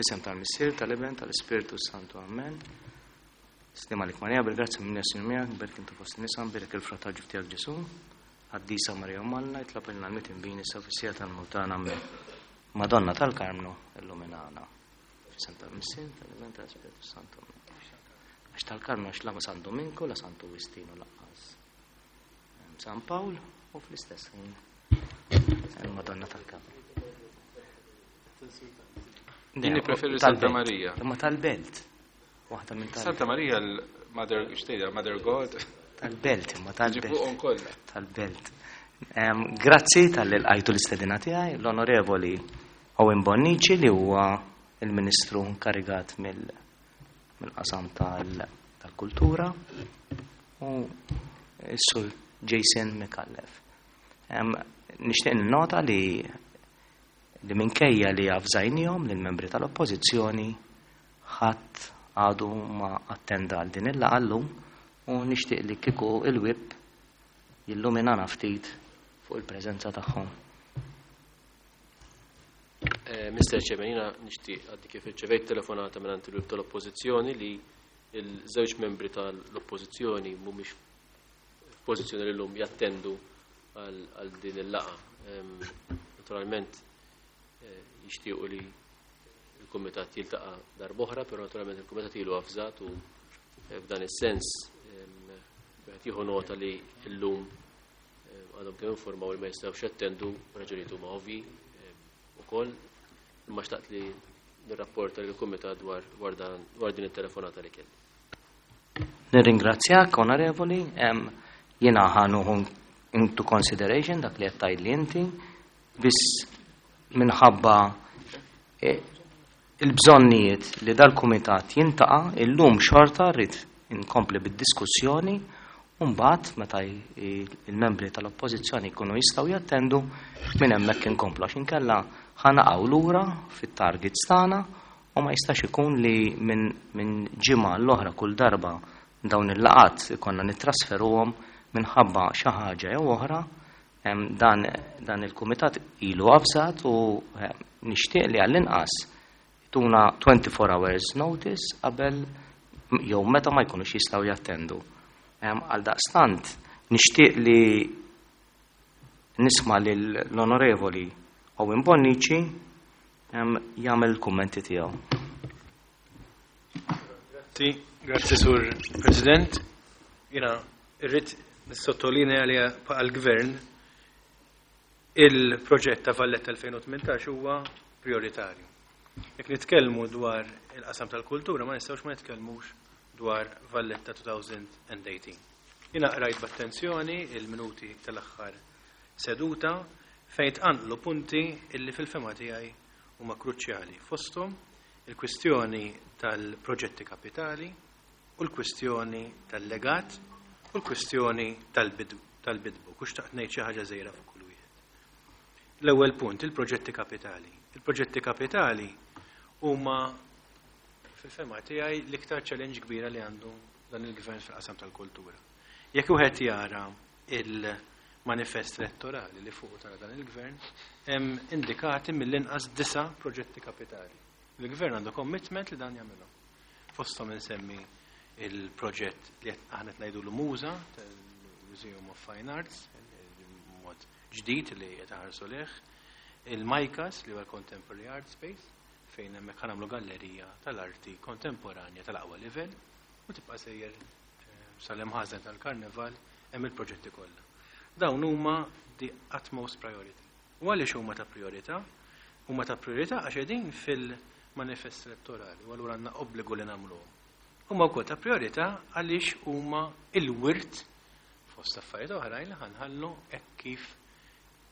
F'isem tal-Missier, tal-Iben, tal-Ispirtu Santu. Amen. Sliem għalik Marija, bil-grazzja minn Jessu miegħek, berk intu fost nisa, berek il-frott tal-ġuf tiegħek Ġesu. Qaddisa Marija Malla, itlob ilna l-mitinbin issa fis-siegħa tal-mewt tagħna. Amen. Madonna tal-Karmnu, illuminana. F'isem tal-Missier, tal-Iben, tal-Ispirtu Santu. Għax tal-Karmnu għax la San Dominku, la Santu Wistinu laqqas. San Pawl u fl-istess ħin il-Madonna tal-Karmnu. Jien nippreferi Santa Marija. Imma tal-belt. Waħda minn tal Santa Marija l-Mother, xtejda, Mother God. Tal-belt, imma tal-belt. kollha. Tal-belt. Grazzi tal-li lqajtu l-istedina tiegħi, l-Onorevoli Owen Bonnici li huwa il-Ministru inkarigat mill-qasam tal-kultura u s-Sur Jason Micallef. Nixtieq nota li li minkejja li avżajnihom lill-membri tal-Oppożizzjoni ħadd għadu ma attenda għal din il-laqgħa llum u nixtieq li kieku il-whip jilluminana ftit fuq il-preżenza tagħhom. Eh, Mr. Chairman, jiena nixtieq għaddi kif irċevejt telefonata minn il-whip tal-Oppożizzjoni li il-żewġ membri tal-Oppożizzjoni mhumiex f'pożizzjoni li llum jattendu għal din il-laqgħa. Naturalment eh, jixtiequ li il-Kumitat jiltaqa' darb'oħra, però naturalment il-Kumitat ilu avżat u eh, f'dan is-sens wieħed jieħu nota li llum għadhom kemm informaw li ma jistgħux jattendu raġunijiet huma ovvji ukoll imma xtaqt li nirrapporta lill-Kumitat dwar dwar din it-telefonata li kelli. Nirringrazzjak, onorevoli, jiena ħa nieħu into consideration dak li qed tgħidli inti, biss minħabba e, il-bżonnijiet li dal-kumitat jiltaqa' illum xorta rrid inkompli bid-diskussjoni u mbagħad meta il-membri tal-Oppożizzjoni jkunu jistgħu jattendu minn hemmhekk inkomplu għax inkella ħa naqgħu lura fit-targets tagħna u ma jistax ikun li minn min ġimgħa l-oħra kull darba dawn il-laqat ikonna nittrasferuhom minħabba xi ħaġa jew oħra dan, dan il-kumitat ilu avżat u nixtieq li għall-inqas tuna 24 hours notice qabel jew meta ma jkunux jistgħu jattendu. Għal daqstant nixtieq li nisma' lill-Onorevoli Owen Bonnici jagħmel il-kummenti tiegħu. Grazzi, grazzi Sur President. Jiena irrid nissottolinea li għal-Gvern il-proġett ta' Valletta 2018 huwa prioritarju. Jekk nitkellmu dwar il-qasam tal-kultura ma nistgħux ma nitkellmux dwar Valletta 2018. Jiena qrajt b'attenzjoni il-minuti tal-aħħar seduta fejn tqanqlu punti illi fil-fehma tiegħi huma kruċjali fosthom il-kwistjoni tal-proġetti kapitali u l-kwistjoni tal-legat u l-kwistjoni tal-bidbu. Kux taqt ngħid xi ħaġa żgħira fuq kull wieħed. L-ewwel punt, il-proġetti kapitali. Il-proġetti kapitali huma fil-fehma tiegħi l-iktar challenge kbira li għandu dan il-gvern fil-qasam tal-kultura. Jekk wieħed jara il-manifest elettorali li fuq tara dan il-gvern, hemm indikati mill-inqas disa' proġetti kapitali. Il-gvern għandu commitment li dan jagħmilhom. Fosthom insemmi il-proġett li aħna qed ngħidulu MUŻA, Museum of Fine Arts, mod ġdid li qed ħarsu leh, il-MICAS li huwa Contemporary Art Space, fejn hemmhekk nagħmlu gallerija tal-arti kontemporanja tal-aqwa livell u tibqa' sejjer sal-imħażen tal-karnival hemm il-proġetti kollha. Dawn huma the utmost priority. U għaliex huma ta' priorità? Huma ta' priorità għax qegħdin fil-manifest elettorali u allura għandna obbligu li nagħmluhom. Huma wkoll ta' priorità għaliex huma il-wirt fost affarijiet oħrajn li ħa nħallu hekk kif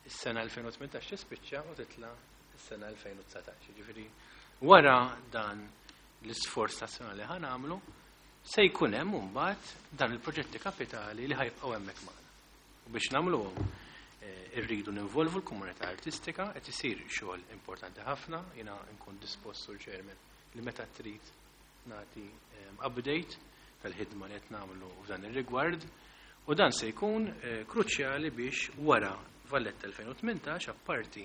is-sena 2018 tispiċċa u titla' is-sena 2019. Ġifieri wara dan l-isforz nazzjonali ħa nagħmlu se jkun hemm imbagħad dan il-proġetti kapitali li ħa jibqgħu hemmhekk magħna. U biex nagħmluhom irridu ninvolvu l-komunità artistika qed isir xogħol importanti ħafna, jiena nkun dispost sur chairman li meta trid nagħti update tal-ħidma li qed nagħmlu f'dan ir-rigward u dan se jkun kruċjali biex wara Valletta 2018 apparti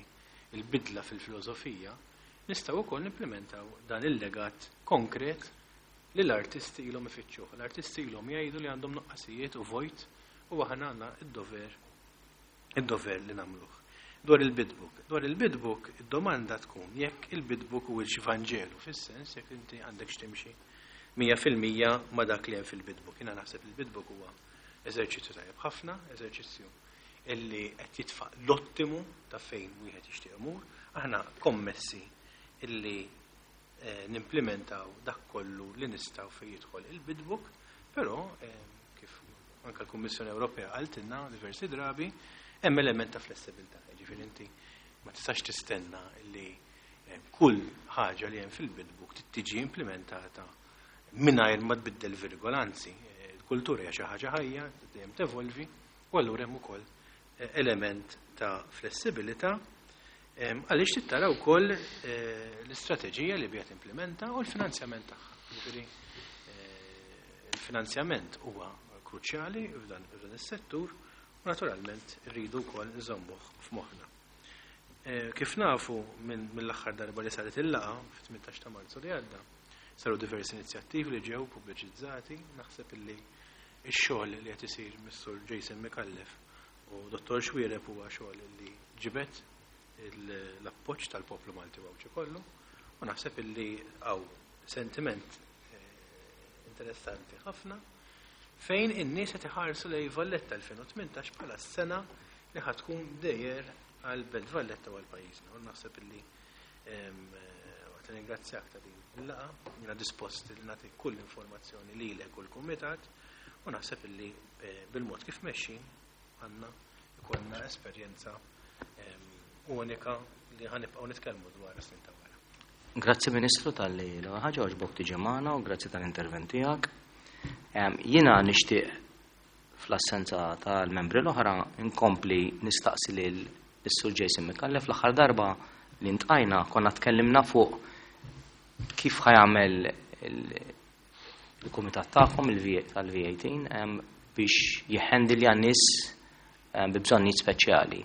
il-bidla fil-filosofija. nistgħu wkoll nimplementaw dan il-legat konkret li l-artisti ilhom ifittxuh. L-artisti ilhom jgħidu li għandhom nuqqasijiet u vojt u aħna għandna id-dover li nagħmluh. Dwar il-bid book. Dwar il-bid book, id-domanda tkun jekk il-bid book huwiex Vanġelu, fis-sens jekk inti għandek x'timxi 100% ma' dak li hemm fil-bid book. Jiena naħseb il-bid book huwa eżerċizzju tajjeb ħafna, eżerċizzju illi qed jitfa' l-ottimu ta' fejn wieħed jixtieq imur. Aħna kommessi illi nimplementaw dak kollu li nistgħu fejn jidħol il-bid book, però kif anke l-Kummissjoni Ewropea qaltilna diversi drabi, hemm element ta' flessibilità. Jiġifieri inti ma tistax tistenna li kull ħaġa li hemm fil-bid book tiġi implementata mingħajr ma tbiddel virgola, anzi, il-kultura hija xi ħaġa ħajja, dejjem tevolvi, u allura hemm ukoll element ta' flessibilità għaliex tittara wkoll l-istrateġija li biha timplementa u l-finanzjament tagħha. Jiġifieri il-finanzjament huwa kruċjali f'dan is-settur u naturalment rridu wkoll nżommuh f'moħħna. Kif nafu mill-aħħar darba li saret il-laqgħa fit-18 ta' Marzu li għadda, saru diversi inizjattivi li ġew pubbliċizzati, naħseb illi x-xogħol li qed isir mis-Sur Jason Micallef u Dottor Xuereb huwa xogħol li ġibed l-appoġġ tal-poplu Malti u Għawdxi kollu, u naħseb illi hawn sentiment interessanti ħafna fejn in-nies qed iħarsu lejn Valletta 2018 bħala s-sena li ħa tkun dejjer għal Belt Valletta u għal pajjiżna. U naħseb illi waqt li ringrazzjak ta' din il-laqgħa, jiena dispost li nagħti kull informazzjoni lilek u l-kumitat, u naħseb illi bil-mod kif mexxin għandna ikollna esperjenza unika li ħanibqgħu nitkellmu dwar is-snin ta' wara. Grazzi Ministru talli l-ewwel ħaġa għoġbok tiġi magħna u grazzi tal-intervent tiegħek. Jiena nixtieq fl-assenza tal-membri l-oħra nkompli nistaqsi lil is-Sur Jason Micallef. L-aħħar darba li ntqajna konna tkellimna fuq kif ħa jagħmel il-kumitat tagħkom tal-V18 biex jihhandilja nies bi bżonnijiet speċjali.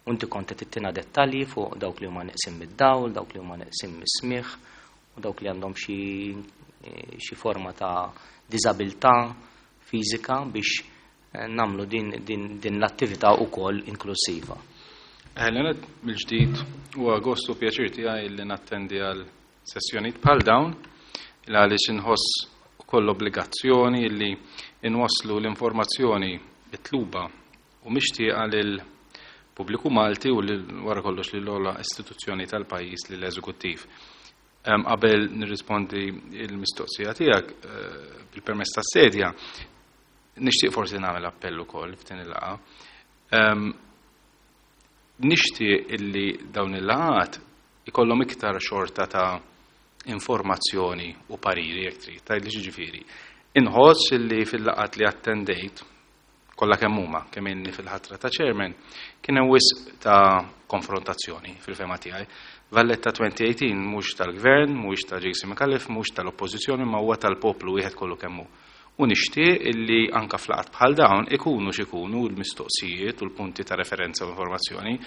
U inti kont qed tittina dettalji fuq dawk li huma neqsin mid-dawl, dawk li huma neqsin mis-smigħ u dawk li għandhom xi forma ta' diżabilità fiżika biex nagħmlu din l-attività wkoll inklusiva. Eħlenet mill-ġdid u gost u pjaċir tiegħi li nattendi għal sessjonijiet bħal dawn il għaliex inħoss ukoll obbligazzjoni li inwasslu l-informazzjoni mitluba u mixtieqa lil pubbliku Malti u lil wara kollox lil ogħla istituzzjoni tal-pajjiż, lill-eżekuttiv. Qabel nirrispondi il-mistoqsija tiegħek bil-permess tas-sedja, nixtieq forsi nagħmel appell ukoll f'din il-laqgħa. Nixtieq illi dawn il-laqgħat ikollhom iktar xorta ta' informazzjoni u pariri jekk trid, tgħidli x'jiġifieri. Inħoss illi fil-laqgħat li attendejt kollha kemm huma, kemm inni fil-ħatra ta' chairman, kien hemm wisq ta' konfrontazzjoni fil-fehma tiegħi. Valletta 2018 mhux tal-gvern, mhux ta' Jason Micallef, mhux tal-oppożizzjoni, ma huwa tal-poplu wieħed kollu kemm hu. U nixtieq illi anka f'laqgħat bħal dawn ikunu x'ikunu l-mistoqsijiet u l-punti ta' referenza u informazzjoni,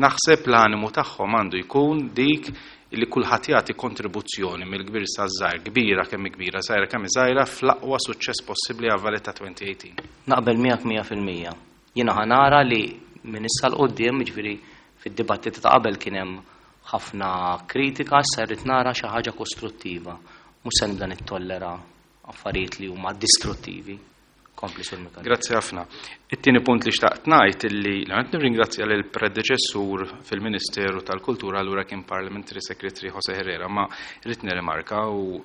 naħseb l-animu tagħhom għandu jkun dik illi kulħadd jagħti kontribuzzjoni mill-kbir sa żgħir, kbira kemm kbira, żgħira kemm żgħira, fl-aqwa suċċess possibbli għal Valletta 2018. Naqbel miegħek 100%. Jiena ħa nara li minn issa 'l quddiem, jiġifieri fid-dibattiti ta' qabel kien hemm ħafna kritika, issa rrid nara xi ħaġa kostruttiva. Mhux se nibda nittollera affarijiet li huma distruttivi. Kompli Sur Micallef. Grazzi ħafna. It-tieni punt li xtaqt ngħid illi l-għanet nirringrazzja lil predeċessur fil-Ministeru tal-Kultura, allura kien Parliamentary Secretary Jose Herrera, ma rrid nirrimarka u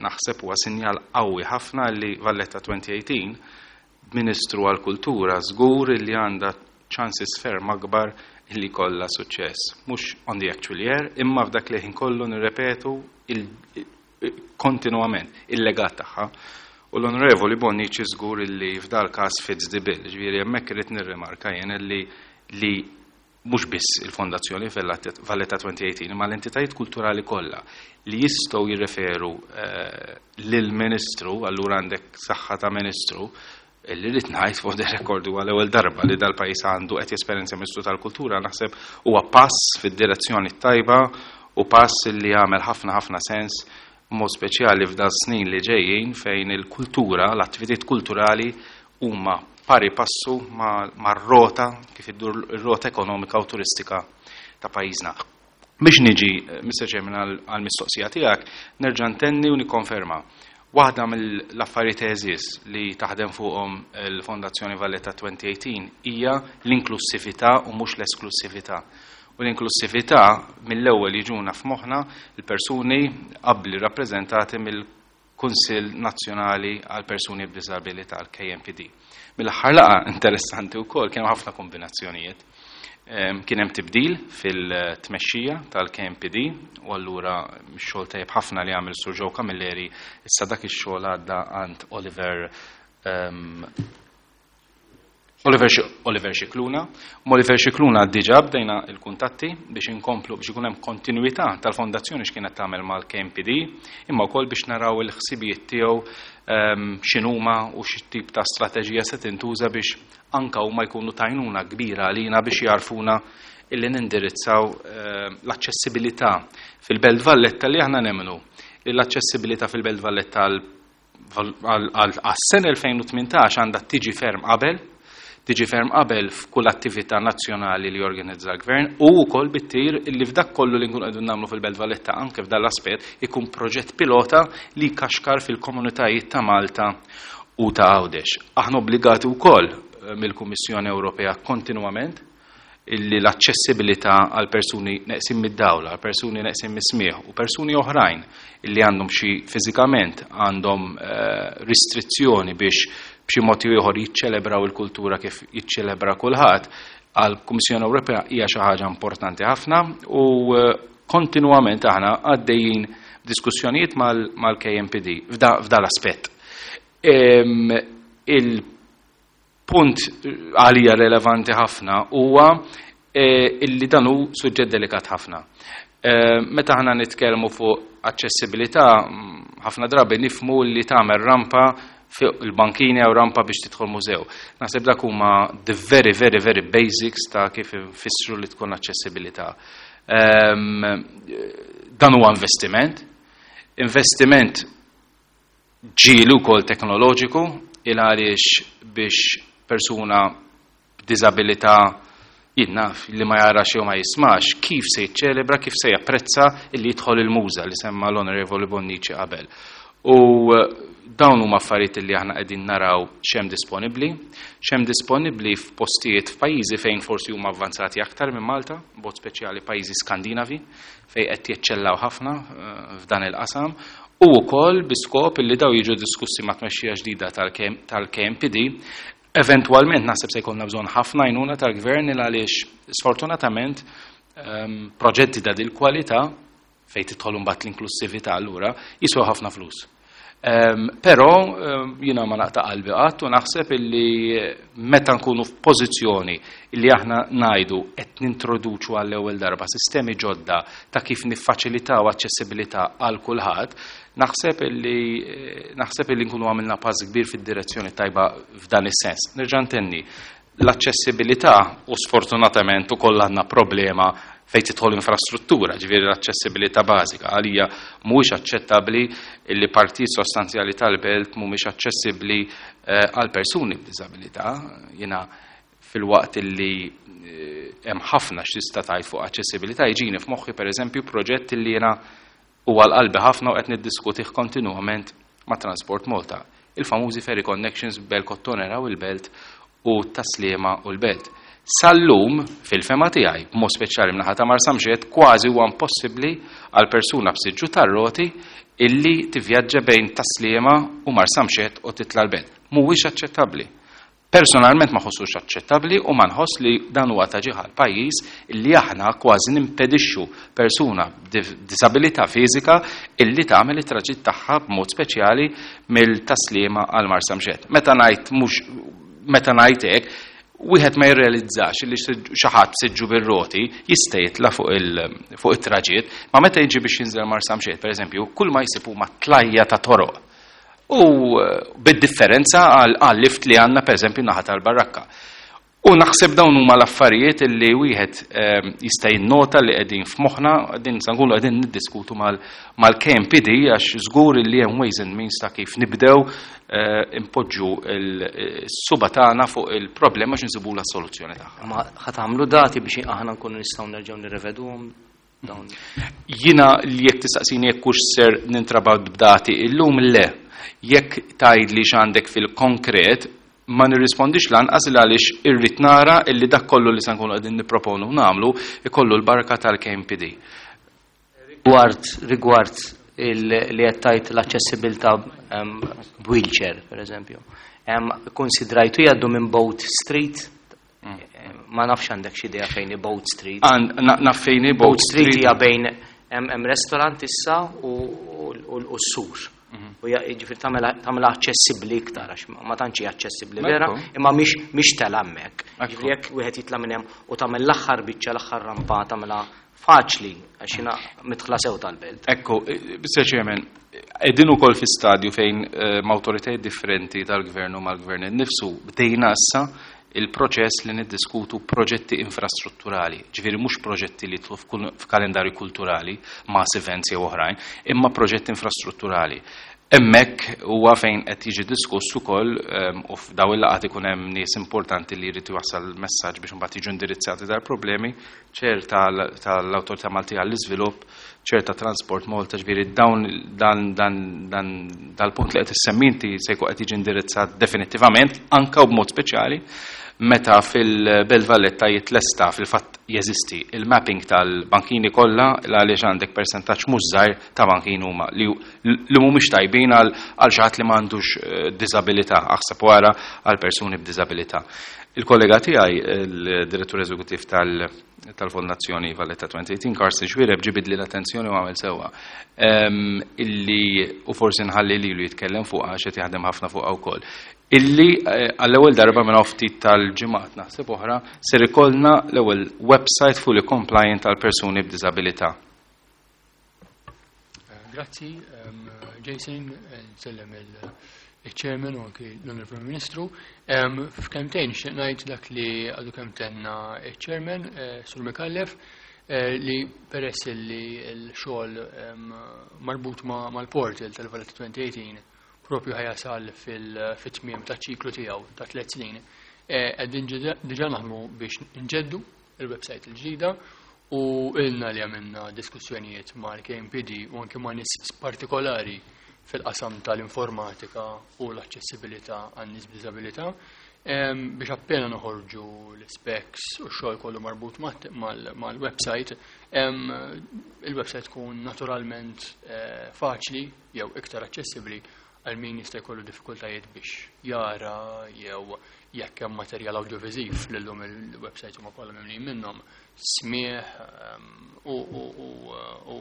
naħseb huwa sinjal qawwi ħafna li Valletta 2018 Ministru għall-Kultura żgur li għandha chances ferm akbar li kollha suċċess. Mhux on the actual year, imma f'dak li ħin kollu nirrepetu kontinuament il-legat tagħha. U l-Onorevoli Bonnici żgur li f'dal każ fits the bill, ġifieri hemmhekk irid nirrimarka jien li mhux biss il-Fondazzjoni Valletta 2018, imma l-entitajiet kulturali kollha li jistgħu jirreferu lill-Ministru, allura għandek saħħa ta' Ministru, li rrid ngħid fuq the record huwa l-ewwel darba li dal-pajjiż għandu qed jesperjenza Ministru tal-Kultura, naħseb huwa pass fid-direzzjoni tajba. u pass li jagħmel ħafna ħafna sens mod speċjali f'dan snin li ġejjin fejn il-kultura, l-attivitajiet kulturali huma pari passu mar-rota kif iddur ir-rota ekonomika u turistika ta' pajjiżna. Biex niġi, Mr. Chairman, għal-mistoqsija tiegħek, nerġa' ntenni u nikkonferma. Waħda mill-affarijiet għeżież li taħdem fuqhom il-Fondazzjoni Valletta 2018 hija l-inklussività u mhux l-esklussività. U l-inklussività mill-ewwel jiġuna f'moħħna l-persuni abbli rappreżentati mill-Kunsill Nazzjonali għal Persuni b'Diżabilità, l-KNPD. Mill-aħħar laqgħa interessanti wkoll kienu ħafna kombinazzjonijiet. Kien hemm tibdil fil-tmexxija tal-KNPD u allura x-xogħol tajjeb ħafna li għamel Sur Joe Camilleri issa dak ix-xogħol għadda għand Oliver Scicluna. Oliver Scicluna diġà bdejna il-kuntatti biex inkomplu biex ikun hemm kontinwità tal-fondazzjoni x'kienet tagħmel mal-KNPD, imma wkoll biex naraw il-ħsibijiet tiegħu x'inhuma u x'tip ta' strateġija se tintuża biex anka huma jkunu tajnuna kbira għalina biex jarfuna illi nindirizzaw l-aċċessibilità fil-Belt Valletta li aħna nemmnu li l-aċċessibilità fil-Belt Valletta għas-sena 2018 għandha tiġi ferm qabel, tiġi ferm qabel f'kull attività nazzjonali li jorganizza l-gvern u wkoll bittir li f'dak kollu li nkunu qegħdin nagħmlu fil-Belt Valletta anke f'dan l-aspett ikun proġett pilota li jkaxkar fil-komunitajiet ta' Malta u ta' Għawdex. Aħna obbligati wkoll mill-Kummissjoni Ewropea kontinwament illi l-aċċessibilità għal persuni neqsin mid-dawl, għal persuni neqsin mis-smieħ u persuni oħrajn illi għandhom xi fiżikament għandhom restrizzjoni biex b'xi mod ieħor jiċċelebraw il-kultura kif jiċċelebra kulħadd, għal Kummissjoni Ewropea hija xi ħaġa importanti ħafna u kontinwament aħna għaddejjin diskussjonijiet mal-KNPD f'da l-aspett. Il-punt għalija relevanti ħafna huwa illi dan hu suġġett delikat ħafna. Meta aħna nitkellmu fuq aċċessibilità, ħafna drabi nifmu li tagħmel rampa fuq il-bankini jew rampa biex tidħol mużew. Naħseb dak huma the very, very, very basics ta' kif infissru li tkun aċċessibilità. Dan huwa investiment, investiment ġieli wkoll teknoloġiku, il għaliex biex persuna b'diżabilità jinnaf li ma jarax jew ma jismax, kif se jiċċelebra, kif se japprezza illi jidħol il-muża li semma l-Onorevoli Bonnici qabel. U dawn huma affarijiet li aħna qegħdin naraw x'hemm disponibbli, x'hemm disponibbli f'postijiet f'pajjiżi fejn forsi huma avvanzati aktar minn Malta, b'mod speċjali pajjiżi Skandinavi, fejn qed jeċċellaw ħafna f'dan il-qasam, u wkoll bi skop li daw jiġu diskussi ma' tmexxija ġdida tal-KNPD. Eventwalment naħseb se jkollna bżonn ħafna għajnuna tal-gvern il għaliex sfortunatament proġetti ta' dil kwalità fejn tidħol imbagħad l-inklussività allura jiswew ħafna flus. Però jiena ma naqta' qalbi qatt u naħseb illi meta nkunu f'pożizzjoni illi aħna ngħidu qed nintroduċu għall-ewwel darba sistemi ġodda ta' kif niffaċilitaw aċċessibilità għal kulħadd, naħseb illi nkunu għamilna pass kbir fid-direzzjoni tajba f'dan is-sens. Nerġa' ntenni, l-aċċessibilità u sfortunatament ukoll għandna problema fejn tidħol infrastruttura, ġifieri l-aċċessibilità bażika. Għalija mhuwiex aċċettabbli li partijiet sostanzjali tal-belt mhumiex aċċessibbli għal persuni b'diżabilità. Jiena fil-waqt li hemm ħafna x'tista' tgħid fuq aċċessibilità, jiġini f'moħħi pereżempju proġett li jiena huwa l-qalbi ħafna u qed niddiskutih kontinwament ma' Transport Malta. Il-famużi ferry connections bel Kottonera u l-Belt u Tas-Sliema u l-Belt. Sal-lum, fil-fema tiegħi, b'mod speċjali mnaħa ta' Marsamxett, kważi huwa impossibbli għal persuna b'siġġu tar-roti illi tivvjaġġa bejn Tas-Sliema u Marsamxett u titla' l-Belt. Mhuwiex aċċettabbli. Personalment ma ħossux aċċettabbli u ma nħoss li dan huwa ta' ġieħ għall-pajjiż illi aħna kważi nimpedixxu persuna b'disabilità fiżika illi tagħmel it-traġitt tagħha b'mod speċjali mill-Tas-Sliema għal Marsamxett. Meta ngħid mhux meta ngħid hekk, wieħed ma jirrealizzax li xi ħadd b'siġġu bir-roti jista' jitla' fuq it-traġitt, ma meta jiġi biex jinżel Marsamxett, pereżempju, kull ma jsib huma tlajja ta' toroq. U bid-differenza għal lift li għandna pereżempju naħa tal-Barrakka. U naħseb dawn huma l-affarijiet li wieħed jista' jinnota li qegħdin f'moħħna, qegħdin sa nkunu qegħdin niddiskutu mal-KNPD għax żgur li hemm ways and means ta' kif nibdew impoġġu s-suba tagħna fuq il-problema għax insibula s-soluzzjoni tagħha. Ma ħa tagħmlu dati biex aħna nkunu nistgħu nerġgħu nirreveduhom dawn? Jiena li jekk tistaqsini jekk hux ser nintrabat b'dati illum, le. Jekk tgħidli x'għandek fil-konkret, ma nirrispondix lanqas il għaliex irrid nara illi dak kollu li se nkunu qegħdin nipproponu nagħmlu ikollu l-barka tal-KNPD. Rigward li qed tgħid l-aċċessibilità b'wheelchair, per eżempju. Konsidrajtu jgħaddu minn Boat Street? Ma nafx għandek xi idea fejn hi Boat Street. Naf fejn hi Boat Boat Street Street. Hija bejn hemm restaurant issa u s-sur. U jiġifieri tagħmilha aċċessibbli iktar għax ma tantx hija aċċessibbli vera, imma mhix tela hemmhekk. Jiġifieri jekk wieħed jitla' minn hemm u tagħmel l-aħħar biċċa, l-aħħar rampa tagħmilha faċli għax jiena midħla sew tal-belt. Ekku, Mr. Chairman, qegħdin ukoll fi stadju fejn m'awtoritajiet differenti tal-gvern u mal-gvern innifsu bdejna issa il-proċess li niddiskutu proġetti infrastrutturali, ġifieri mhux proġetti li jidħlu f'kalendarju kulturali, mass events jew oħrajn, imma proġetti infrastrutturali. Hemmhekk huwa fejn qed jiġi diskuss ukoll u f'daw il-laqgħat ikun hemm nies importanti li jrid jwassal messaġġ biex imbagħad jiġu indirizzati dal-problemi, ċer tal-Awtorità Maltija għall-Iżvilupp, ċer ta' Transport Malta, ġifieri dawn dan dan dan dal-punt li qed issemmi inti se jkun qed jiġi indirizzat definittivament anke u b'mod speċjali meta fil-Belt Valletta jitlesta, fil-fatt jeżisti il-mapping tal-bankini kollha, għaliex għandek persentaġġ mhux żgħir ta' bankini huma li mhumiex tajbin għal xi ħadd li m'għandux diżabilità, aħseb wara għal persuni b'diżabilità. Il-kollega tiegħi, il-direttur eżekuttiv tal-Fondazzjoni Valletta 2018, Carsten Xuereb, ġibidli l-attenzjoni u għamel sewwa. Illi u forsi nħalli lilu jitkellem fuq għax qed jaħdem ħafna fuqha wkoll. Illi għall-ewwel darba minn ftit tal-ġimgħat naħseb oħra ser ikollna l-ewwel website fully compliant għal persuni b'diżabilità. Grazzi, Jason, nsellem il-Chairman u anki l-Onorevoli Ministru. F'kemtejn nixtieq ngħid dak li għadu kemm tenna il-Chairman, Sur Micallef, li peress li l-xogħol marbut mal-portal tal-Valletta 2018 propju ħa jasal fil-tmiem ta' ċiklu tiegħu ta' 3 snin. Qegħdin diġà naħdmu biex nġeddu il-website il-ġdida u ilna li għamilna diskussjonijiet mal-KNPD u anke ma' nies partikolari fil-qasam tal-informatika u l-aċċessibilità għan nies b'diżabilità biex appena noħorġu l-specs u x-xogħol kollu marbut mal-website, il-website tkun naturalment faċli jew iktar aċċessibbli għal min jista' jkollu diffikultajiet biex jara jew jekk hemm materjal audiovisiv li llum il-website huma kollha mimlijin minnhom, smieħ u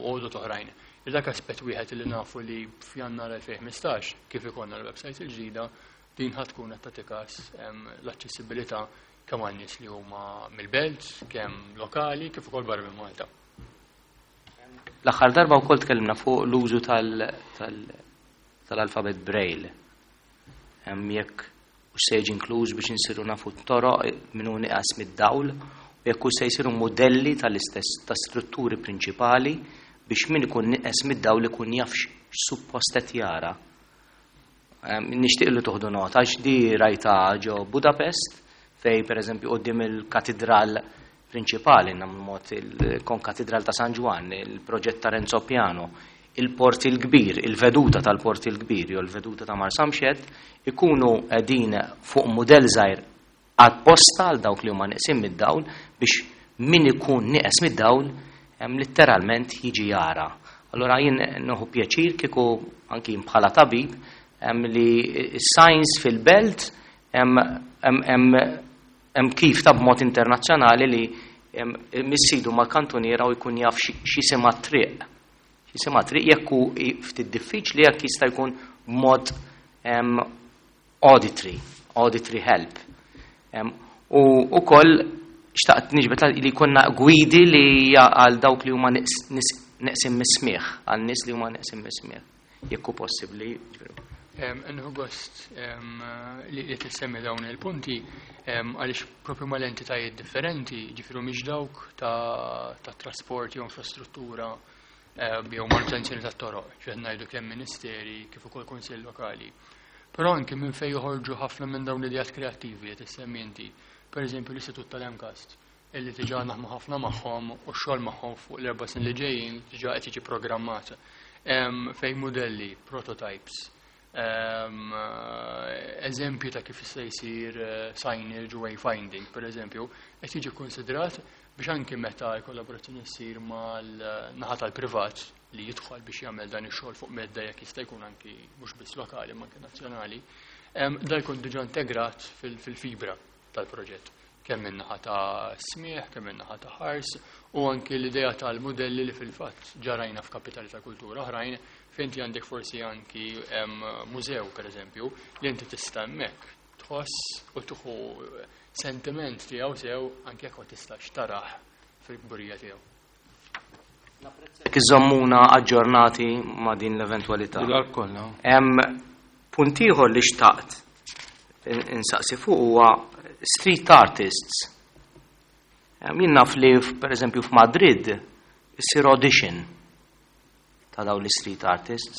għodod oħrajn. Dak aspett wieħed li nafu li f'Jannar 2015 kif ikollna l-website il-ġdida din ħa tkun qed tagħti każ l-aċċessibilità kemm għal nies li huma mill-belt, kemm lokali, kif ukoll barra minn Malta. L-aħħar darba wkoll tkellimna fuq l-użu tal-alfabet Braille. Hemm jekk u se jiġi inkluż biex insiru nafu t-toroq min hu nieqes mid-dawl, u jekk u se jsiru modelli tal-istess ta' strutturi prinċipali biex min ikun nieqes mid-dawl ikun jaf x'suppost qed jara. Nixtieq li toħdu nota għax di rajta ġo Budapest fej pereżempju quddiem il-katedral prinċipali, mod il-Konkatedral ta' San Ġwann, il-proġett ta' Renzo Piano, il-Port il-Kbir, il-veduta tal-Port il-Kbir jew il-veduta ta' Marsamxett, ikunu qegħdin fuq mudell żgħir apposta għal dawk li huma neqsin mid-dawl biex min ikun nieqes mid-dawl letteralment jiġi jara. Allora jien nieħu pjaċir kieku anki jien bħala tabib li s-science fil-belt hemm kif ta' b'mod internazzjonali li missidu mal-kantuniera u jkun jaf x'jisimha triq. X'jisimha triq jekk hu ftit diffiċli jekk jista' jkun b'mod auditory help. U wkoll xtaqt niġbed li jkollna gwidi li għal dawk li huma neqsin mis-smieħ, għal nies li huma neqsin mis-smieħ, jekk hu possibbli. Nieħu gost li tissemmi dawn il-punti għaliex propju mal-entitajiet differenti, ġifieri mhix dawk ta' trasport jew infrastruttura jew manutenzjoni tat-toroq, ġifieri ngħidu kemm ministeri kif ukoll kunsill lokali. Però anke minn fejn joħorġu ħafna minn dawn l-ideat kreattivi li tissemmi inti. Per eżempju l-Istitut tal-MCAST, illi diġà naħdmu ħafna magħhom u x-xogħol magħhom fuq l-4 snin li ġejjin diġà qed jiġi programmat. Fejn modelli, prototypes, eżempju ta' kif jista' jsir signage u wayfinding, per eżempju, qed jiġi konsidrat biex anki meta l-kollaborazzjoni ssir mal-naħa tal-privat li jidħol biex jagħmel dan ix-xogħol fuq medda jekk jista' jkun anki mhux biss lokali ma anke nazzjonali, da jkun diġà integrat fil-fibra tal-proġett, kemm min-naħa ta' smieħ, kemm min-naħa ta' ħars, u anki l-idea tal-modelli li fil-fatt ġarajna f'kapitali ta' kultura oħrajn, fejn inti għandek forsi anki mużew, per eżempju, li inti tista' hemmhekk tħoss u tieħu sentiment tiegħu sew anke jekk ma tistax tarah fil-kburija tiegħu. Jekk iżommuna aġġornati ma' din l-eventwalità. Bil-qalb kollha. Hemm punt ieħor li xtaqt insaqsi fuq huwa street artists. Jien naf li per eżempju f'Madrid issir audition ta' dawn l-street artists.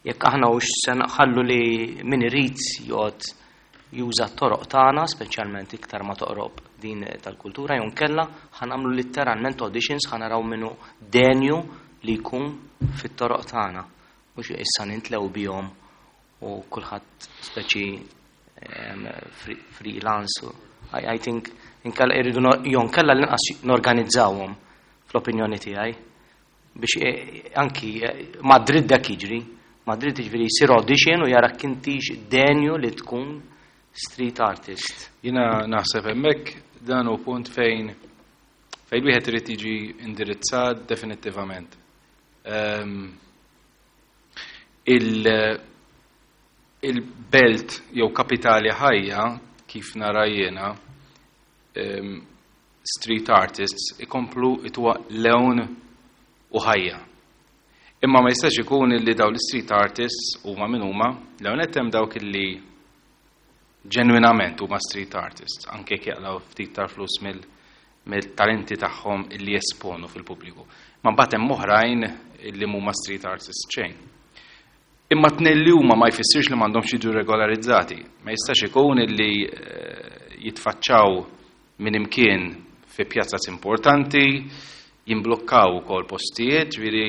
Jekk aħna hux se nħallu li min irid joqgħod juża t-toroq tagħna, speċjalment iktar ma toqrob din tal-kultura, jew nkella ħa nagħmlu letteralment auditions, ħa naraw minnu denju li jkun fit-toroq tagħna. Mhux issa nintlew bihom u kulħadd speċi freelance. I think inkella irridu jew nkella l-inqas norganizzawhom fl-opinjoni tiegħi biex anki Madrid dak jiġri. Madrid jiġifieri jsir audition u jara kintix denju li tkun street artist. Jiena naħseb hemmhekk dan hu punt fejn wieħed irid jiġi indirizzat definittivament. Il-belt jew kapitali ħajja kif nara jiena, street artists ikomplu itwa lewn u ħajja. Imma ma jistax ikun illi daw l-street artists huma min huma, lewn qed hemm dawk illi ġenwinament huma street artists, anke jekk jaqlaw ftit tal-flus mill-talenti tagħhom illi jesponu fil-pubbliku. Ma mbagħad hemm oħrajn illi huma street artists xejn. Imma tnejn li huma ma jfissirx li m'għandhomx jiġu regolarizzati. Ma jistax ikun illi jitfaċċaw minn imkien fi pjazzas importanti, jimblokkaw ukoll postijiet, ġifieri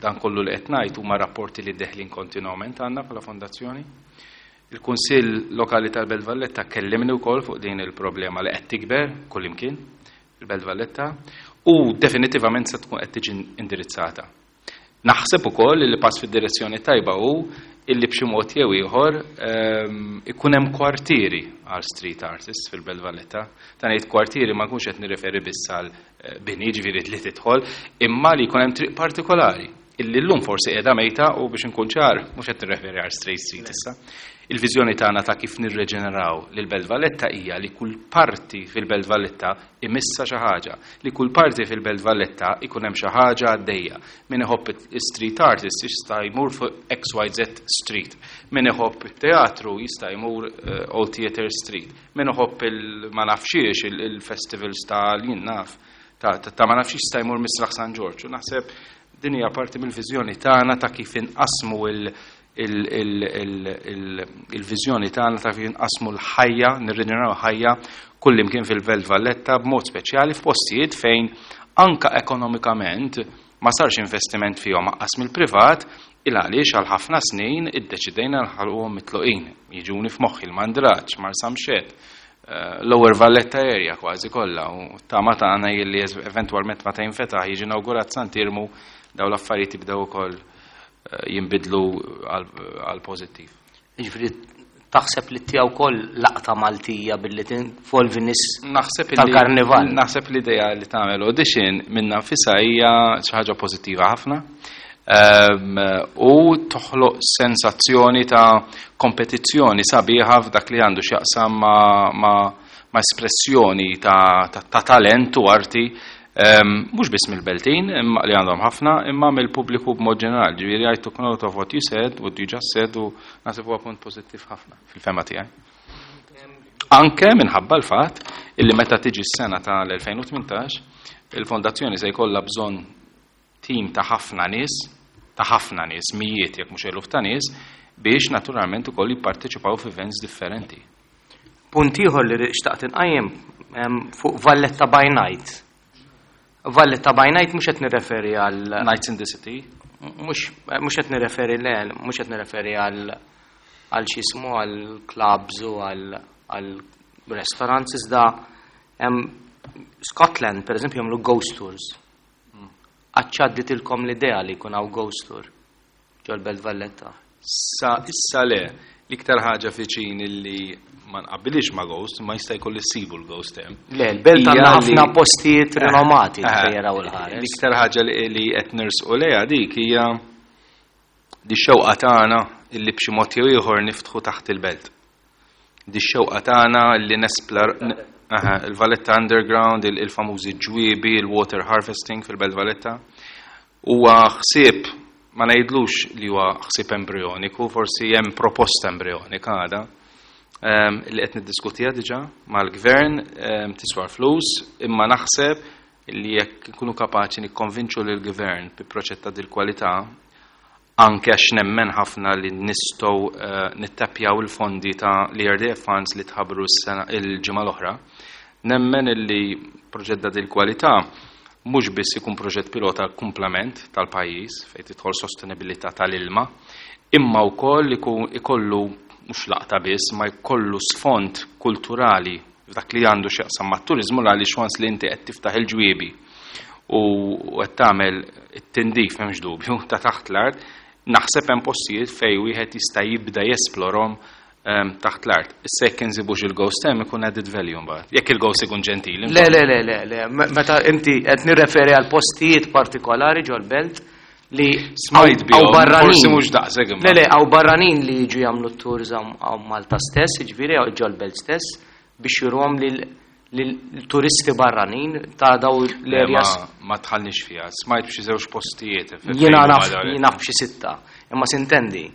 dan kollu li qed ngħid huma rapporti li deħlin kontinwament għandna bħala fondazzjoni. Il-Kunsill Lokali tal-Belt Valletta kellimni wkoll fuq din il-problema li qed tikber kullimkien fil-Belt Valletta u definitivament se tkun qed tiġi indirizzata. Naħseb ukoll li pass fid-direzzjoni tajba hu illi b'xi mod jew ieħor ikun hemm kwartieri għal street artists fil-Belt Valletta. Ta' ngħid kwartieri ma nkunx qed nirreferi biss għal bini, ġifieri li tidħol, imma li jkun hemm triq partikolari illi llum forsi qiegħda mejta u biex inkun ċar mhux qed nirreferi għal Straight Street issa. Il-viżjoni tagħna ta' kif nirreġeneraw lil Belt Valletta hija li kull parti fil-Belt Valletta imissa xi ħaġa, li kull parti fil-Belt Valletta ikun hemm xi ħaġa għaddejja. Min iħobb street artist jista' jmur fuq XYZ Street, min iħobb it-teatru jista' jmur Old Theatre Street, min iħobb il ma nafxiex il-festivals ta' jien naf ta' ma nafx jista' jmur Misraħ San Ġorġ. U naħseb din hija parti mill-viżjoni tagħna ta' kif inqasmu il-viżjoni tagħna ta' kif inqasmu l-ħajja, nirriġeneraw ħajja kullimkien fil-Belt Valletta b'mod speċjali f'postijiet fejn anka ekonomikament ma sarx investiment fihom aqqas mill-privat, il għaliex għal ħafna snin iddeċidejna nħalquhom mitluqin. Jiġuni f'moħħi l-Mandraġġ, Marsamxett, Lower Valletta area kważi kollha, u tama tagħna li eventwalment meta jinfetaħ jiġi inawgurat Sant'Iermu daw l-affarijiet jibdew ukoll jinbidlu għal pożittiv. Jiġifieri taħseb li tiegħu wkoll laqta Maltija billi tinvolvi nies Naħseb tal-karnival. Naħseb l-idea li tagħmel audition minna nfisha hija xi ħaġa pożittiva ħafna. U toħloq sensazzjoni ta' kompetizzjoni sabiħa f'dak li għandu x'jaqsam ma' espressjoni ta' talent u arti. Mhux biss mill-Beltin, imma li għandhom ħafna, imma mill-pubbliku b'mod ġenerali. Ġifieri I took note of what you said, what you just said, u naħseb huwa punt pożittiv ħafna fil-fehma tiegħi. Anke minħabba l-fatt illi meta tiġi s-sena tal-2018, il-fondazzjoni se jkollha bżonn tim ta' ħafna nies, ta' ħafna nies, mijiet jekk mhux eluf ta' nies, biex naturalment ukoll jipparteċipaw f'events differenti. Punt ieħor li xtaqt inqajjem fuq Valletta by Night. Valletta by Night mhux qed nirreferi għal Nights in the City? Mhux qed nirreferi, le, mhux qed nirreferi għal x'jismu, għal clubs u għal restaurants, iżda Scotland, per eżempju, jagħmlu ghost tours. Qatt għaddietilkom l-idea li jkun hawn ghost tour ġol-Belt Valletta? Sa issa le, l-iktar ħaġa viċin illi ma nqabbilix ma' ghost, ma jista' jkolli ssibu l-ghost hemm. Le, l-belt għandna ħafna postijiet rinomati fejn jaraw il-ħares. L-iktar ħaġa li qed nersqu lejha dik hija di xewqa tagħna illi b'xi mod jew ieħor niftħu taħt il-belt. Di xewqa tagħna li nesplar il-Valletta Underground, il-famużi ġwiebi, il-water harvesting fil-Belt Valletta. Huwa ħsieb, ma ngħidlux li huwa ħsieb embrioniku, forsi hemm proposta embrionika għada, li qed niddiskutiha diġà mal-gvern, tiswar flus, imma naħseb li jekk nkunu kapaċi nikkonvinċu lill gvern bi proġett ta' dil-kwalità, anke għax nemmen ħafna li nistgħu nittapjaw il-fondi ta' l-ERDF funds li tħabbru s-sena il-ġimgħa l-oħra, nemmen li proġett ta' dil-kwalità mhux biss ikun proġett pilota komplement tal-pajjiż fejn tidħol sostenibilità tal-ilma, imma wkoll ikollu mhux laqta biss, ma jkollu sfond kulturali f'dak li għandu x'jaqsam mat-turiżmu, għaliex once li inti qed tiftaħ il-ġwiebi u qed tagħmel it-tindif, m'hemmx dubju, ta' taħt l-art, naħseb hemm postijiet fejn wieħed jista' jibda jesplorhom taħt l-art. Issa jekk insibux il-ghost hemm ikun added value mbagħad. Jekk il-ghost ikun ġentili. Le, le, le, le, le. Meta inti qed nirreferi għal postijiet partikolari ġol-belt li Smajt bihom, hawn barranin. Forsi mhux daqshekk imma. Le, le, hawn barranin li jiġu jagħmlu tours hawn Malta stess, jiġifieri ġol-belt stess, biex juruhom lil turisti barranin ta' daw l-areas. Ma tħallniex fiha, smajt b'xi żewġ postijiet. Jiena naf, jien naf b'xi sitta. Imma sintendi,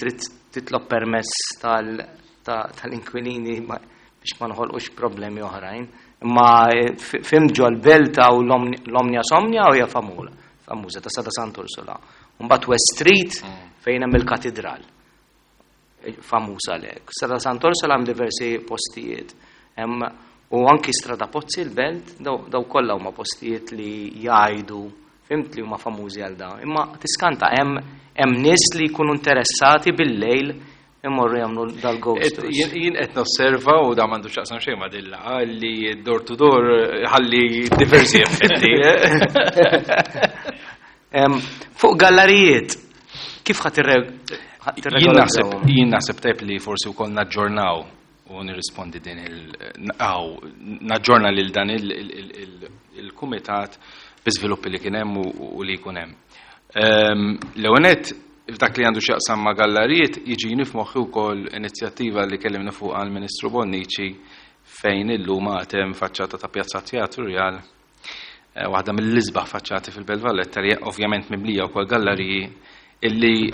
trid titlob permess tal-inkwilini biex ma nħolqux problemi oħrajn. Imma fim ġol-belt hawn l-Omnia Somnia u hija famuża ta' Strada Sant'Ursula. Mbagħad West Street fejn hemm il-katedral. Famuża lek. Strada Sant'Ursula hemm diversi postijiet. U anki Strada Pozzi l-belt, daw kollha huma postijiet li jgħidu, fimt, li huma famużi għal dawn. Imma tiskanta hemm nies li jkunu interessati bil-lejl imorru jagħmlu dal-ghost tours. Jien qed nosserva, u da m'għandu x'jaqsam xejn ma' dilla, li door to door ħalli diversi effetti. Fuq gallerijiet, kif ħa Jien naħseb tajb li forsi wkoll naġġornaw u nirrispondi din il- aw, naġġorna lil dan il-kumitat bi żviluppi li kien hemm u li jkun hemm. L-ewwel nett, f'dak li għandu x'jaqsam ma' gallerijiet, jiġini f'moħħi wkoll inizjattiva li kellimna fuq għall-Ministru Bonnici, fejn illum għad hemm faċċata ta' Pjazza Teatru Rjal, waħda mill-isbaħ faċċati fil-Belt Valletta, li ovvjament mimlija wkoll galleriji, illi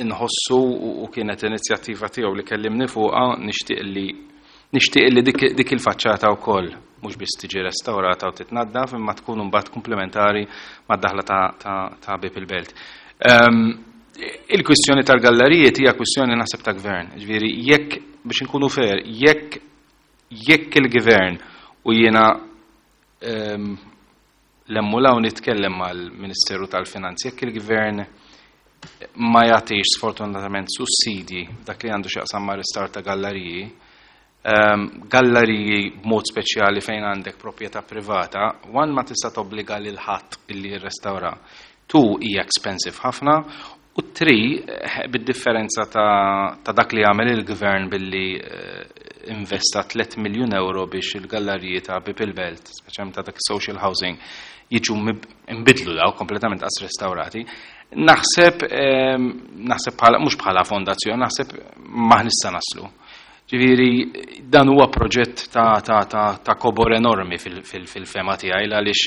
inħossu u kienet inizjattiva tiegħu li kellimni fuqha, nixtieq li dik il-faċċata wkoll mhux biss tiġi restaurata u titnaddaf, imma tkun imbagħad komplementari mad-daħla ta' Bib il-Belt. Il-kwistjoni tal-gallerijiet hija kwistjoni naħseb ta' gvern. Ġifieri jekk, biex inkunu fair, jekk il-gvern, u jiena l-emmulaw nitkellem mal-Ministeru tal-Finanzi, jekk il-gvern ma jagħtix sfortunatament sussidji dak li għandu x'jaqsam ma' restawr ta' galleriji, galleriji b'mod speċjali fejn għandek proprjetà privata, one, ma tista' tobbliga lil ħadd illi jirrestawra. Two, hija expensive ħafna, u three, bid-differenza ta' dak li għamel il-gvern billi investa 3 miljun euro biex il-galleriji ta' Bib il-Belt, speċjalment ta' dak social housing, jiġu imbidlu daw kompletament qas restaurati. Naħseb bħala, mhux bħala fondazzjoni, naħseb ma nista' naslu. Ġifieri dan huwa proġett ta' kobor enormi fil-fema tiegħi għaliex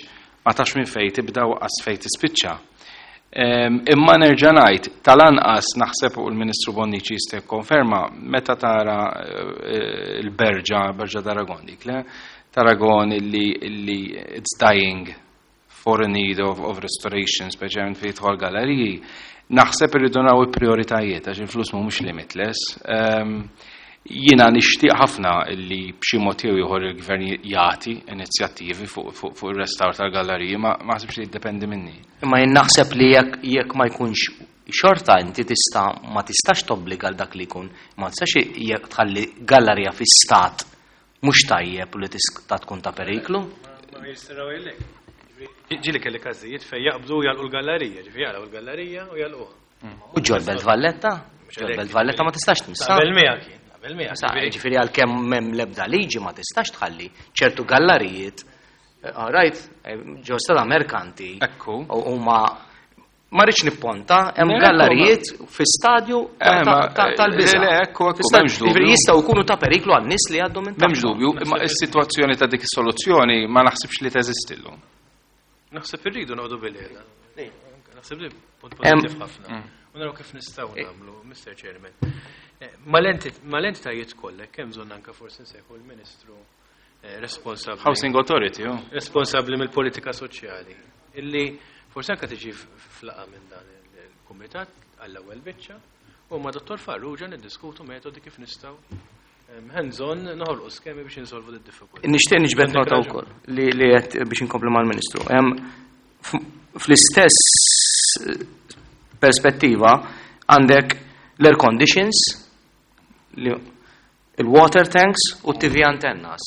ma tafx minn fejn tibda u qas fejn tispiċċa. Imma nerġa' ngħid, tal-anqas naħseb u l-Ministru Bonnici jista' jikkonferma meta tara il-Berġa, Berġa d'Aragon dik, le? T'Aragon illi it's dying for a need of restoration, speċjalment fejn jidħol galleriji, naħseb irridu naraw il-prioritajiet għax il-flus mhumiex limitless. Jiena nixtieq ħafna li b'xi mod jew ieħor il-gvern jagħti inizjattivi fuq ir-restawr tal-galleriji, ma naħsibx li jiddependi minni. Imma jien naħseb li jekk ma jkunx xorta inti tista' ma tistax tobbliga għal dak li jkun, ma tistax jekk tħalli gallerija fi stat mhux tajjeb u li tista' tkun ta' periklu. Ma jistgħu jgħidlek. Ġieli kelli każijiet fejn jaqbdu jagħlqu l-gallerija, ġifieri jagħlqu l-gallerija u jagħlquha. U ġol-Belt Valletta? Ġol-Belt Valletta ma tistax tmissa. Qabel miegħek jien, qabel miegħek. Sa, ġifieri għalkemm m'hemm l-ebda liġi ma tistax tħalli ċertu gallerijiet, right, ġo strada merkanti. Ekku. U huma ma rridx nipponta, hemm gallerijiet fi stadju tal-biża'. Le, ekku, ekku, Fi stadju, m'hemmx dubju. Ġifieri jistgħu jkunu ta' periklu għan-nies li għaddu minn M'hemmx tagħhom. dubju, imma is-sitwazzjoni ta' dik is-soluzzjoni ma naħsibx li teżisti llum. Naħseb irridu noqogħdu bil-qiegħda. Naħseb li punt pożittiv ħafna. U naraw kif nistgħu nagħmlu, Mr. Chairman. Mal-entitajiet kollha hemm bżonn anke forsi nsejħu l-Ministru responsabbli. Housing Authority, oh. Responsabbli mill-politika soċjali. Illi forsi anke tiġi flaqa minn dan il-kumitat għall-ewwel biċċa u ma' Dottor Farrugia niddiskutu metodi kif nistgħu hands-on noħolqu skemi biex insolvu d-diffikultà. Nixtieq niġbed Għandek nota raġun. wkoll li qed biex inkomplu mal-Ministru. Fl-istess perspettiva għandek l-air conditions, il-water tanks u TV antennas.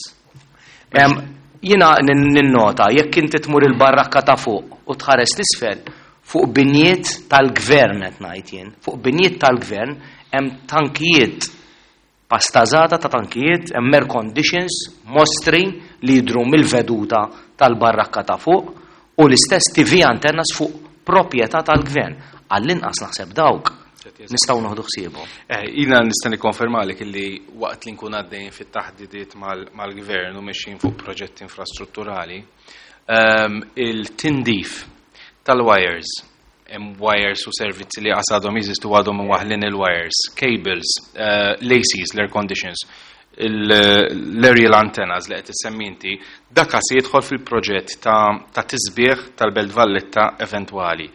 Jiena ninnota jekk inti tmur il-barrakka ta' fuq u tħares l-isfel fuq binjiet tal-gvern qed ngħid jien, fuq binjiet tal-gvern hemm tankijiet pastażata ta' tankijiet, hemm air conditions, mostri li jidhru mill-veduta tal-barrakka ta' fuq u l-istess TV antennas fuq proprjetà tal-gvern. Għall-inqas naħseb dawk nistgħu noħdu ħsiebhom. Jiena nista' nikkonfermalek illi waqt li nkun għaddejjin fit-taħdidiet mal-gvern u mexjin fuq proġetti infrastrutturali, il-tindif tal-wires, hemm wires u servizzi li għadhom jeżistu għadhom waħlin il-wires, cables, l-ACs, l-air conditions, l-aerial antennas li qed issemmi inti, dak se jidħol fil-proġett ta' tisbieħ tal-Belt Valletta eventwali.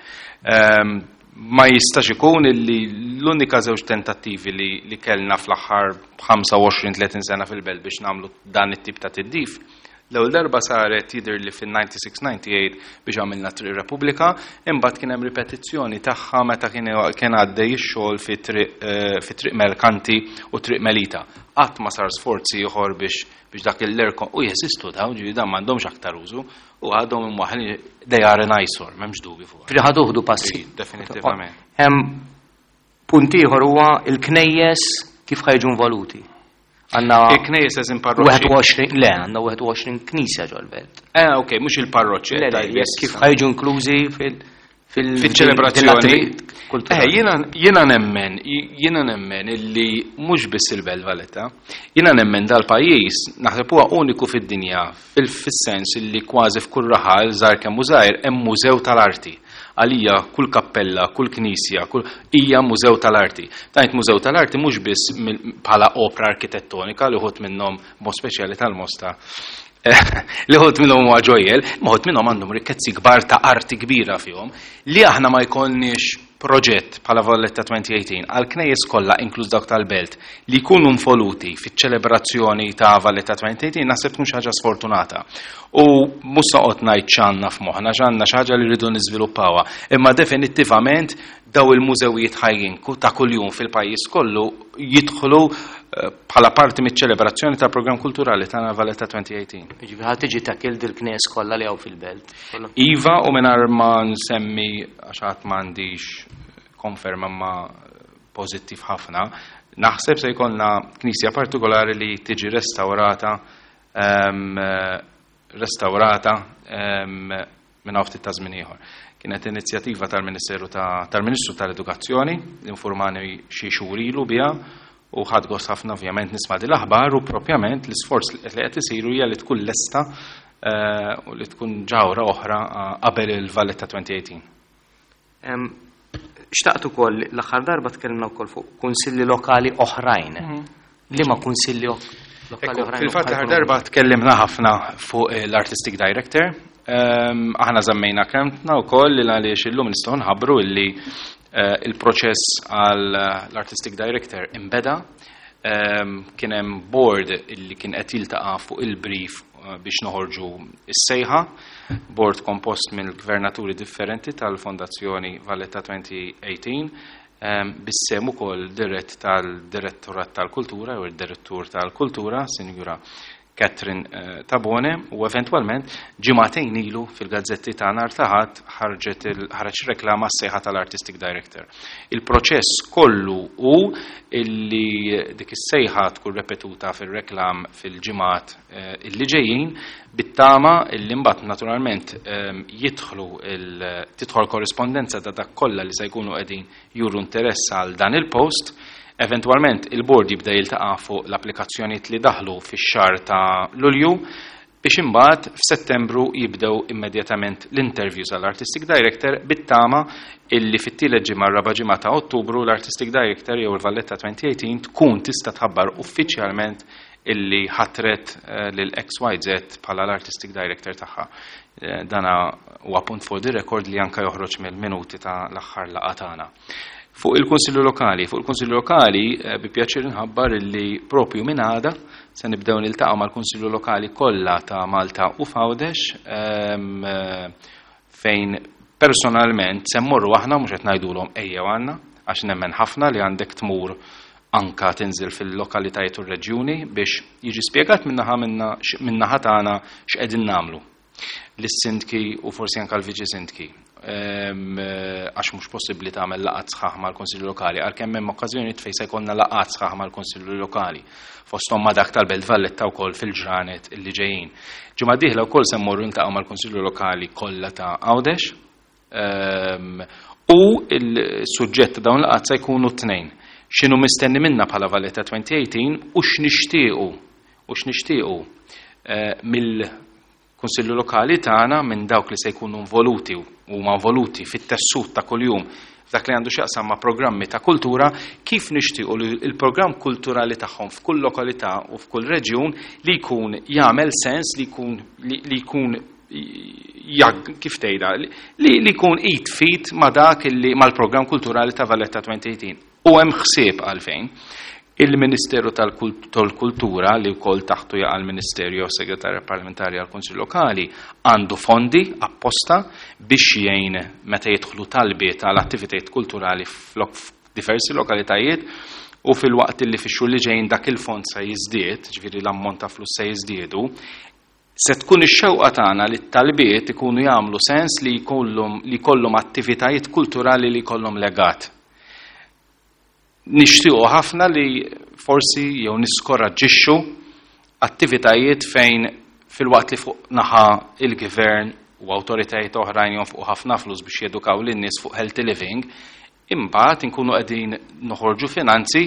Ma jistax ikun illi l-unika żewġ tentattivi li kellna fl-aħħar 25-30 sena fil-belt biex nagħmlu dan it-tip ta' tiddif. L-ewwel darba saret jidher li fin-96-98 biex għamilna Triq Repubblika, imbagħad kien hemm ripetizzjoni tagħha meta kien għaddej ix-xogħol fi Triq Merkanti u Triq Melita. Qatt ma sar sforzi ieħor biex dak il-aircon u jeżistu dawn, ġifieri dan m'għandhomx aktar użu u għadhom imwaħħlin, they are an eyesore, m'hemmx dubju fuq. Ġifieri ħaduħdu passi. Sì, definitivament. Hemm punt ieħor huwa il-knejjes kif ħajġu involuti. Għandna Il-knejjes eżin parroċċi. 21, le, għandna 21 knisja ġol-belt. Ok, mhux il-parroċċi, Le, le, tajjeb, jekk kif ħajġu inklużi Fiċ-ċelebrazzjoni. fil-attività kulturali. Jiena nemmen illi mhux biss il-Belt Valletta, jiena nemmen dal-pajjiż naħseb huwa uniku fid-dinja fis-sens illi kważi f'kull raħal żgħar kemm hu żgħir hemm mużew tal-arti. Għalija kull kappella, kull knisja, kull hija mużew tal-arti. Tajt mużew tal-arti mhux biss bħala opra arkitettonika li ħut minnhom mod speċjali tal-Mosta. Li ħut minnhom huwa ġojjel, ma ħut minnhom għandhom rikkezzi kbar ta' arti kbira fihom li aħna ma jkollniex proġett bħala Valletta 2018 għal knejjes kollha inkluż dawk tal-belt li jkunu involuti fiċ-ċelebrazzjoni ta' Valletta 2018 naħseb tkun xi ħaġa sfortunata. U mhux noqgħod ngħid x'għandna f'moħħna, x'għandna xi ħaġa li rridu niżviluppawha, imma definittivament daw il-mużewijiet ħajjin ta' kuljum fil-pajjiż kollu jidħlu bħala parti miċ-ċelebrazzjoni tal-programm kulturali ta' Valletta 2018. Jiġifieri ħadd tiġi takil dil-knies kollha li hawn fil-belt. Iva, u mingħajr ma nsemmi għax għad m'għandix konferma ma pożittiv ħafna, naħseb se jkollna knisja partikolari li tiġi restaurata minn hawn ftit ta' żmien ieħor. Kienet inizjattiva tal-Ministeru tal-Ministru tal-Edukazzjoni, li informani xi xhur ilu biha, U ħadt gost ħafna ovvjament nisma' din l-aħbar u propjament l-isforz li qed isiru hija li tkun lesta u li tkun ġawra oħra qabel il-Valletta 2018. Xtaqt ukoll l-aħħar darba tkellimna wkoll fuq kunsilli lokali oħrajn. Liema kunsilli lokali oħrajn? Fil-fatt l-aħħar darba tkellimna ħafna fuq l-Artistic Director. Aħna żammejna kelmtna wkoll li għaliex illum nistgħu nħabbru illi il-proċess għal l-Artistic Director imbeda. Kien hemm board illi kien qed jiltaqa' fuq il-brief biex noħorġu is-sejħa, board kompost minn gvernaturi differenti tal-Fondazzjoni Valletta 2018, bis-sehem ukoll dirett tal-Direttorat tal-Kultura u d-Direttur tal-Kultura, Sinjura Catherine Tabone, u eventwalment ġimagħtejn ilu fil-gazzetti ta' nhar ta' Ħadd ħareġ reklama s-sejħa tal-Artistic Director. Il-proċess kollu hu illi dik is-sejħa tkun repetuta fil-reklam fil-ġimgħat illi ġejjin, bit-tama illi mbagħad naturalment tidħol korrispondenza ta' dak kollha li se jkunu qegħdin juru interess għal dan il-post. Eventwalment il-board jibda jiltaqa' fuq l-applikazzjonijiet li daħlu fix-xahar ta' Lulju biex imbagħad f'Settembru jibdew immedjatament l-interviews għall-Artistic Director, bit-tama illi fit-tielet ġimgħa, raba' ġimgħa ta' Ottubru, l-Artistic Director jew il-Valletta 2018 tkun tista' tħabbar uffiċjalment illi ħatret lil XYZ bħala l-Artistic Director tagħha. Dana huwa punt for the record li anka joħroġ mill-minuti ta' l-aħħar laqgħa tagħna. Fuq il-Kunsillu Lokali, bi pjaċir nħabbar illi propju minn għada se nibdew niltaqgħu mal-Kunsillu Lokali kollha ta' Malta u f'Għawdex, fejn personalment se mmorru aħna, mhux qed ngħidulhom ejjew għandna, għax nemmen ħafna li għandek tmur anka tinżil fil-lokalitajiet u r-reġjuni biex jiġi spjegat min-naħa tagħna x'qegħdin nagħmlu lis-sindki u forsi anka l-viċi sindki. Għax mhux possibbli tagħmel laqgħat sħaħ mal-Kunsillu Lokali, għalkemm hemm okkażjonijiet fejn se jkollna laqgħat sħaħ mal-Kunsillu Lokali, fosthom ma' dak tal-Belt Valletta wkoll fil-ġranet illi ġejjin. Ġimgħa dieħla wkoll se mmorru niltaqgħu mal-Kunsillu Lokali kollha ta' Għawdex, u il-suġġett ta' dawn laqgħat se jkunu tnejn. X'inhu mistenni minna bħala Valletta 2018 u x'nixtiequ mill-Kunsillu Lokali tagħna, minn dawk li se jkunu involuti u huma involuti fit-tessut ta' kuljum f'dak li għandu x'jaqsam ma' programmi ta' kultura, kif nixtiequ li l-programm kulturali tagħhom f'kull lokalità u f'kull reġjun li jkun jagħmel sens, li jkun li jkun jag, kif tgħidha, li jkun id f'id ma' dak li mal-programm kulturali ta' Valletta 2018. U hemm ħsieb għalfejn. Il-Ministeru tal-Kultura, li wkoll taħtu jaqa' l-Ministerju jew Segretarja Parlamentari għall-Kunsill Lokali, għandu fondi apposta biex jgħin meta jidħlu talbiet għal attivitajiet kulturali f'diversi lokalitajiet, u fil-waqt li fix-xhur li ġejjin dak il-fond se jiżdied, ġifieri l-ammont ta' flus se jiżdiedu, se tkun ix-xewqa tagħna li t-talbiet ikunu jagħmlu sens li jkollhom attivitajiet kulturali li jkollhom legat. Nixtiequ ħafna li forsi jew niskoraġġixxu attivitajiet fejn fil-waqt li fuq naħa il-gvern u awtoritajiet oħrajn jonfqu ħafna flus biex jedukaw lin-nies fuq healthy living, imbagħad inkunu qegħdin noħorġu finanzi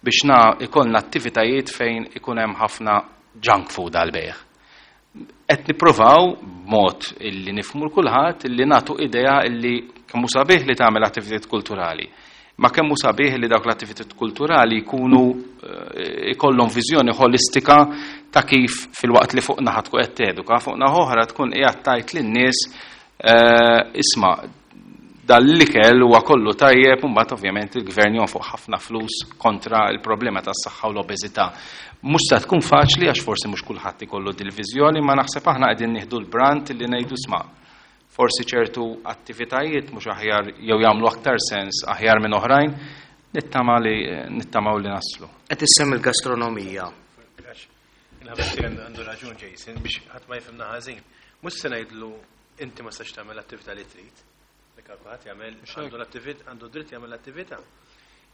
biex ikollna attivitajiet fejn ikun hemm ħafna junk food għal-bejgħ. Qed nippruvaw b'mod illi nifhmu l kulħadd illi nagħtu idea illi kemm hu sabiħ li tagħmel attivitajiet kulturali, ma kemm hu sabiħ li dawk l-attivitajiet kulturali jkunu ikollhom viżjoni ħolistika ta' kif fil-waqt li fuq naħa tkun qed teduka, fuq naħa oħra tkun qiegħed tgħid lin-nies isma' dal-ikel huwa kollu tajjeb, u mbagħad ovvjament il-gvern jonfoq ħafna flus kontra l-problema tas-saħħa u l-obeżità. Mhux se tkun faċli għax forsi mhux kulħadd ikollu dil-viżjoni, ma naħseb aħna qegħdin nieħdu l-brand li ngħidu sma' forsi ċertu attivitajiet mhux aħjar jew jagħmlu aktar sens aħjar minn oħrajn, nittamaw li naslu. Qed issemmi l-gastronomija. Il-ħabib għandu raġun Jason biex ħadd ma jifhimna ħażin. Mhux se ngħidlu inti ma tistax tagħmel l-attività li trid. Dik kulħadd jagħmel, għandu l-attività, għandu dritt jagħmel l-attività.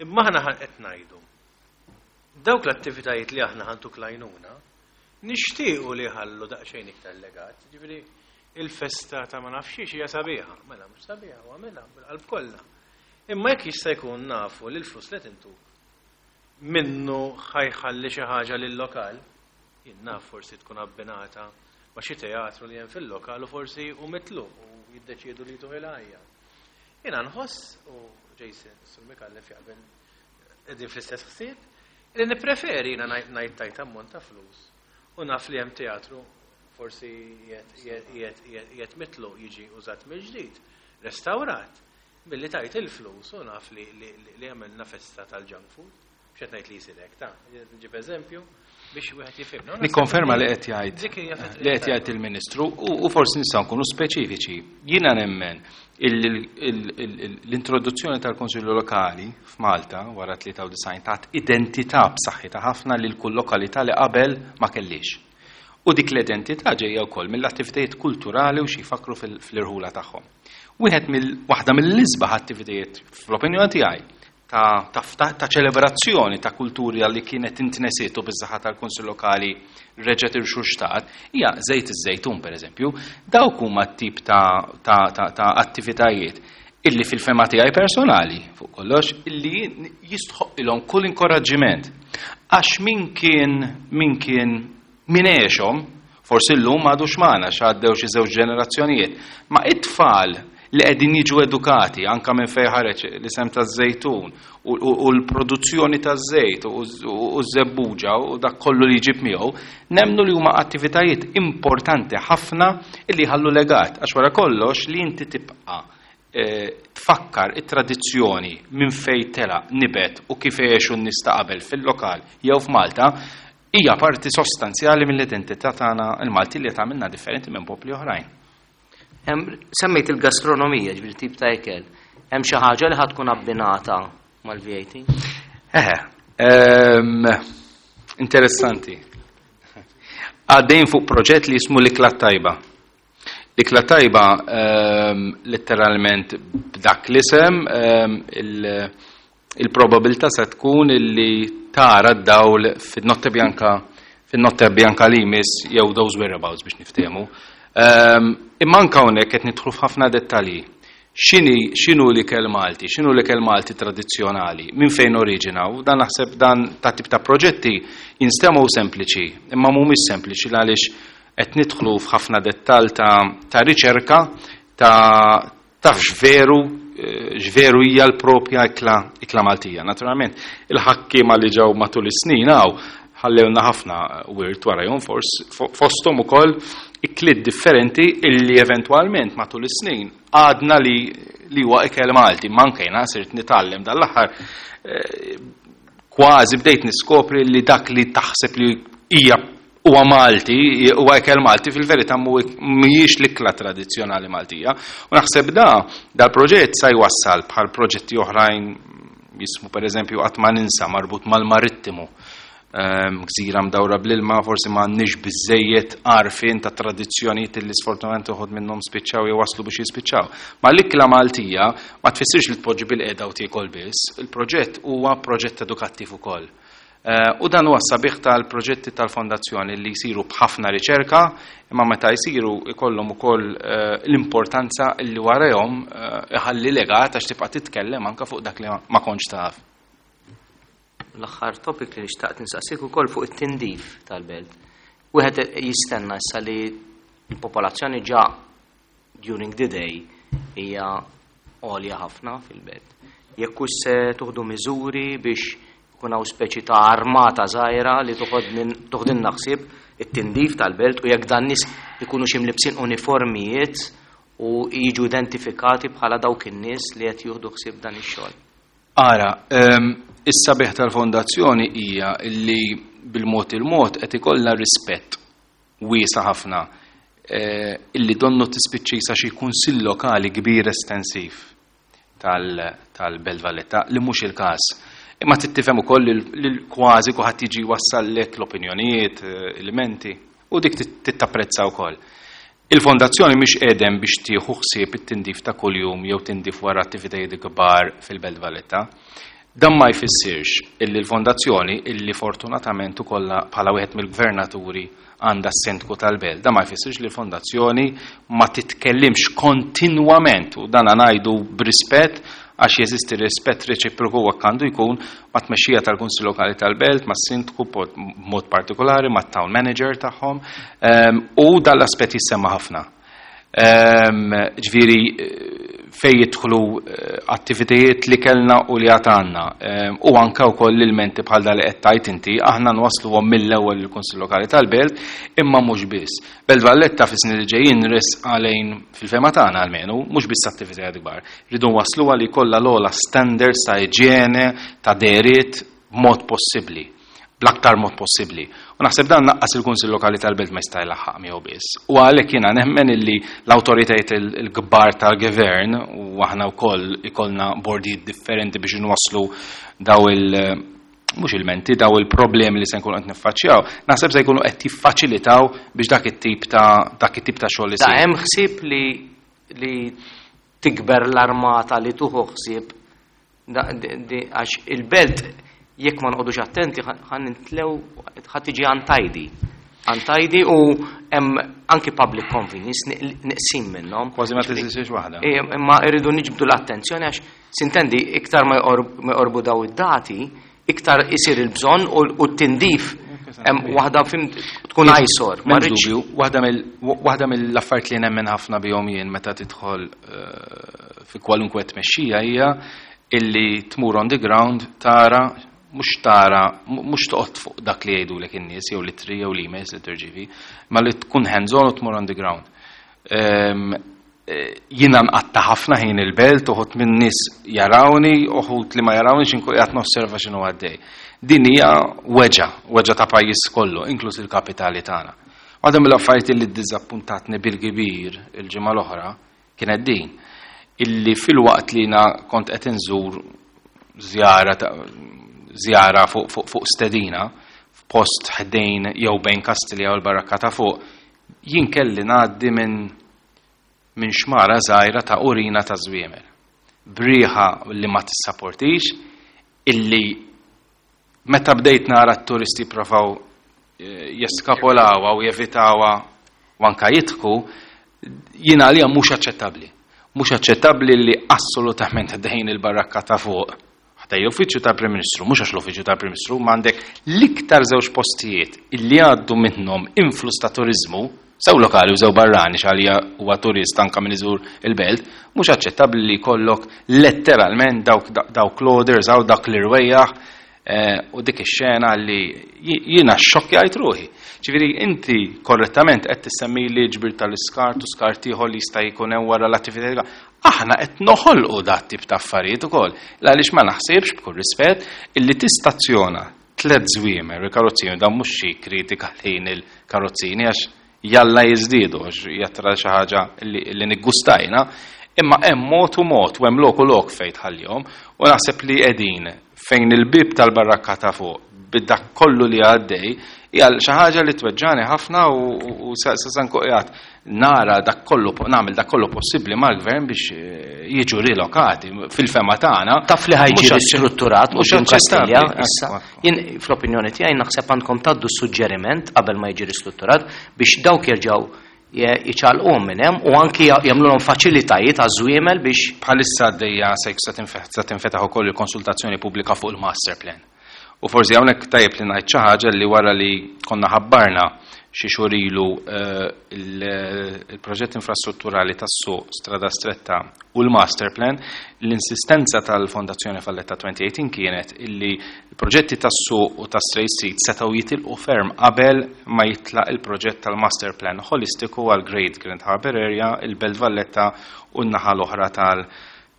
Imma aħna qed ngħidu. Dawk l-attivitajiet li aħna ħantuk lajnuna, nixtiequ li jħallu daqsxejn iktar legat. Ġifieri il-festa ta' ma nafx xiex hija sabiħa. Mela mhux sabiħa, u għamilha bil-qalb kollha. Imma jekk jista' jkun nafu li l-flus li tintuk. Minnu ħa jħalli xi ħaġa lil-lokal, jien naf forsi tkun abbinata ma' xi teatru li hemm fil-lokal u forsi hu mitluq u jiddeċiedu li jtuh il-ħajja. Jiena nħoss, u Jason, Sur Micallef jaqbel qegħdin fl-istess ħsieb, li nippreferi jiena ngħid tajt ammont ta' flus u naf li hemm teatru forsi qiegħed mitluq jiġi użat mill-ġdid, restawrat, milli tajt il-flus u naf li għamilna festa tal-junk food. Mhux qed ngħid li jsir hekk, ta' nġib eżempju biex wieħed jifhimna. Nikkonferma li qed jgħid li qed jgħid il-Ministru u forsi nistgħu nkunu speċifiċi. Jiena nemmen l-introduzzjoni tal-Konsilju Lokali f'Malta wara 93 tat identità b'saħħitha ħafna lil kull lokalità li qabel ma kellix. U dik l-identità ġejja wkoll mill-attivitajiet kulturali u xi jfakru fl-irħula tagħhom. Wieħed mill waħda mill-isbaħ attivitajiet fl-opinjoni tiegħi ta', ta, ta, ta ċelebrazzjoni ta' kulturi li kienet intnesiet u biż-saħħa tal-Kunsill Lokali reġgħet irxuxtat, hija żejt iż-żejtun pereżempju. Dawk huma t-tip ta', ta, ta, ta attivitajiet illi fil-fehma tiegħi personali fuq kollox illi jistħoq kull inkoraġġiment. Għax min kien min kien min għexhom, forsi llum m'għadux magħna x'għaddew xi żewġ ġenerazzjonijiet, ma it-tfal li qegħdin jiġu edukati anka minn fejn ħareġ l-isem taż-żejtun u l-produzzjoni taż-żejt u ż-żebbuġa u dak kollu li jġib miegħu, nemnu li huma attivitajiet importanti ħafna li jħallu legat għax wara kollox li inti tibqa' tfakkar it-tradizzjoni minn fejn tela nibet u kif għexu n-nies ta' qabel fil-lokal jew f'Malta hija parti sostanzjali mill-identità tagħna il-Malti li tagħmilna differenti minn popli oħrajn. Semmejt il-gastronomija, ġifieri tip ta' ikel. Hemm xi ħaġa li ħa tkun abbinata mal-VAT? Eħe, interessanti. Għaddejn fuq proġett li jismu l-ikla tajba. L-ikla tajba letteralment b'dak l-isem il-probabilità se tkun illi tara d-dawl fin-Notte Bianca fin-Notte Bianca li jmiss jew those whereabouts biex niftehmu. Imma anke hawnhekk qed nidħlu f'ħafna dettalji. X'inhi x'inhu l-ikel Malti, x'inhu l-ikel Malti tradizzjonali, minn fejn oriġina, u dan naħseb dan ta' tip ta' proġetti jinstemgħu sempliċi, imma mhumiex sempliċi għaliex qed nidħlu f'ħafna dettall ta' riċerka ta' taf x'veru x'veru hija l-propja ikla ikla Maltija. Naturalment, il-ħakkiema li ġew matul is-snin hawn ħallewna ħafna wirt warajhom fosthom ukoll ikliet differenti illi eventwalment matul is-snin għadna li li huwa ikel Malti. Ma anke jiena sirt nitgħallem dal-aħħar kważi bdejt niskopri li dak li taħseb li hija huwa Malti, huwa ikel Malti, fil-verità mhijiex l-ikla tradizzjonali Maltija. U naħseb da dal-proġett sa jwassal bħal proġetti oħrajn jismu pereżempju qatt ma ninsa marbut mal-marittimu. Gżira mdawra bl-ilma, forsi ma għandniex biżejjed għarfien ta' tradizzjonijiet li sfortunatament uħud minnhom spiċċaw jew waslu biex jispiċċaw. Ma l-ikla Maltija ma tfissirx li tpoġġi bil-qiegħda u tiekol biss, il-proġett huwa proġett edukattiv ukoll. U dan huwa sabiħ tal-proġetti tal-fondazzjoni li jsiru b'ħafna riċerka, imma meta jsiru ikollhom ukoll l-importanza li warahom iħalli legat għax tibqa' titkellem anke fuq dak li ma kontx taf. L-aħħar topic li nixtaqt nsaqsik ukoll fuq it-tindif tal-belt. Wieħed jistenna issa li l-popolazzjoni ġa during the day hija għolja ħafna fil-belt. Jekk hux se tuħdu miżuri biex ikun hawn speċi ta' armata żgħira li toħdilna ħsieb it-tindif tal-belt u jekk dan nies ikunu xi mlibsin uniformijiet u jiġu identifikati bħala dawk in-nies li qed jieħdu ħsieb dan ix-xogħol. Ara, is-sabiħ tal-fondazzjoni hija li bil-mod il-mod qed ikollha rispett wiesa' ħafna illi donnu tispiċċisa xi kunsill lokali kbir estensiv tal-Belt Valletta li mhux il-każ. Imma tittifhem ukoll li kważi kulħadd jiġi wassallek l-opinjonijiet, elementi, u dik tittapprezza wkoll. Il-fondazzjoni mhix qiegħdem biex tieħu ħsieb it-tindif ta' kuljum jew tindif wara attivitajiet kbar fil-Belt Valletta. Dan ma jfissirx illi l-fondazzjoni illi fortunatament ukoll bħala wieħed mill-gvernaturi għandha s-sindku tal-belt, dan ma jfissirx li l-fondazzjoni ma titkellimx kontinwament u dan ngħidu b'rispett. Għax jeżisti rispett reċiproku u hekk għandu jkun mat-tmexxija tal-Kunsill Lokali tal-Belt, mas-Sindku b'mod partikolari, mat-town manager tagħhom, u dan l-aspett jissemma ħafna. Ġifieri fejn jidħlu attivitajiet li kellna u li għad għandna, u anke wkoll l-ilmenti bħal dan li qed tgħid inti, aħna nwassluhom mill-ewwel lill-Kunsill Lokali tal-Belt, imma mhux biss. Belt Valletta fis-snin li ġejjin resqa lejn, fil-fehma tagħna almenu, mhux biss attivitajiet kbar. Rridu nwassluha li jkollha l-ogħla standards ta' iġjene, ta' dehriet b'mod possibbli, bl-aktar mod possibbli. U naħseb dan naqqas il-Kunsill Lokali tal-Belt ma jista' jlaħħaq miegħu biss. U għalhekk jiena nemmen illi l-awtoritajiet il-kbar tal-gvern u aħna wkoll ikollna bordijiet differenti biex inwasslu daw il- mhux il-menti, daw il-problemi li se nkunu qed niffaċċjaw, naħseb se jkunu qed jiffaċilitaw biex dak it-tip ta' dak it-tip ta' xogħol isir. Da hemm ħsieb li tikber l-armata li tuħu ħsieb għax il-belt jekk ma nqogħdux attenti ħan nintlew ħa tiġi untidy. Untidy u hemm anki public convenience niqsim minnhom. Kważi ma tiżistix waħda. Imma rridu niġbdu l-attenzjoni għax sintendi iktar ma jqorbu daw id-dati, iktar isir il-bżonn u t-tindif hemm waħda fim tkun eyesore. Ma M'hemmx rridx dubju, waħda mill-affarijiet li nemmen ħafna bihom jien meta tidħol fi kwalunkwe tmexxija hija illi tmur on the ground tara, mhux tara, mhux toqgħod fuq dak li jgħidulek in-nies jew l-ittri jew l-emails li tirċievi, ma li tkun hands on u tmur on the ground. Jiena nqatta' ħafna ħin il-belt, uħud minn nies jarawni, uħud li ma jarawni x'inkun qiegħed nosserva x'inhu għaddej. Din hija weġa, weġa ta' pajjiż kollu, inkluż il-kapitali tagħna. Waħda mill-affarijiet li ddiżappuntatni bil-kbir il-ġimgħa l-oħra kienet din, illi fil-waqt li jiena kont qed inżur żjara fuq stedina f'post ħdejn jew bejn Kastilja u l-Barrakka ta' fuq, jien kelli ngħaddi minn xmara żgħira ta' urina ta' żwiemel. Briħa li ma tissaportix, illi meta bdejt nara t-turisti provaw jeskapolawha u jevitawha u anka jidħku, jiena għalija mhux aċċettabbli. Mhux aċċettabbli li assolutament ħdejn il-barrakka ta' fuq, ħdejn l-uffiċċju tal-Prim Ministru, mhux għax l-uffiċċju tal-Prim Ministru, ma għandek l-iktar żewġ postijiet illi għaddu minnhom influss ta' turiżmu, sew lokali u sew barrani, x'għalija huwa turist anka min iżur il-belt, mhux aċċettabbli li jkollok letteralment dawk l-orders għaw dak l-irwejjaħ u dik ix-xena li jiena xxokkjajt ruħi. Ġifieri inti korrettament qed tissemmi li ġbir tal-iskart u skart ieħor li jista' jkun hemm wara l-attività. Aħna qed noħolqu dat tip ta' affarijiet ukoll. Għaliex ma naħsibx b'kull rispett illi tistazzjona tliet żwiemer il-karozzini, dan mhux xi kritika lejn il-karozzini għax jalla jiżdiedu għax jattra xi ħaġa li niggustajna, imma hemm mod u mod u hemm lok u lok fejn tħallihom u naħseb li qegħdin fejn il-bib tal-barrakka ta' fuq bid-dak kollu li għaddej hija xi ħaġa li tweġġani ħafna u sa nkun qiegħed nara dak kollu nagħmel dak kollu possibbli mal-gvern biex jiġu rilokati fil-fema tagħna. Taf li ħajġi Mhux ristrutturat quddiem aċċettabbli. Kastilja issa. Jien fl-opinjoni tiegħi naħseb għandkom tgħaddu suġġeriment qabel ma jiġi ristrutturat biex dawk jerġgħu jiċċaqalquhom minn hemm u anki jagħmluhom faċilitajiet għaż-żwiemel biex bħalissa għaddejja se tinfetaħ ukoll il-konsultazzjoni pubblika fuq il-master plan. U forsi hawnhekk tajjeb li ngħid xi ħaġa li wara li konna ħabbarna xi xhur ilu il-proġett infrastrutturali tas-suq Strada Stretta u l-master plan, l-insistenza tal-Fondazzjoni Valletta 2018 kienet illi l-proġetti tas-suq u ta' Straight Street setgħu jitilqu ferm qabel ma jitlaq il-proġett tal-master plan holistiku għal Great Grand Harbour Area, il-Belt Valletta u n-naħa l-oħra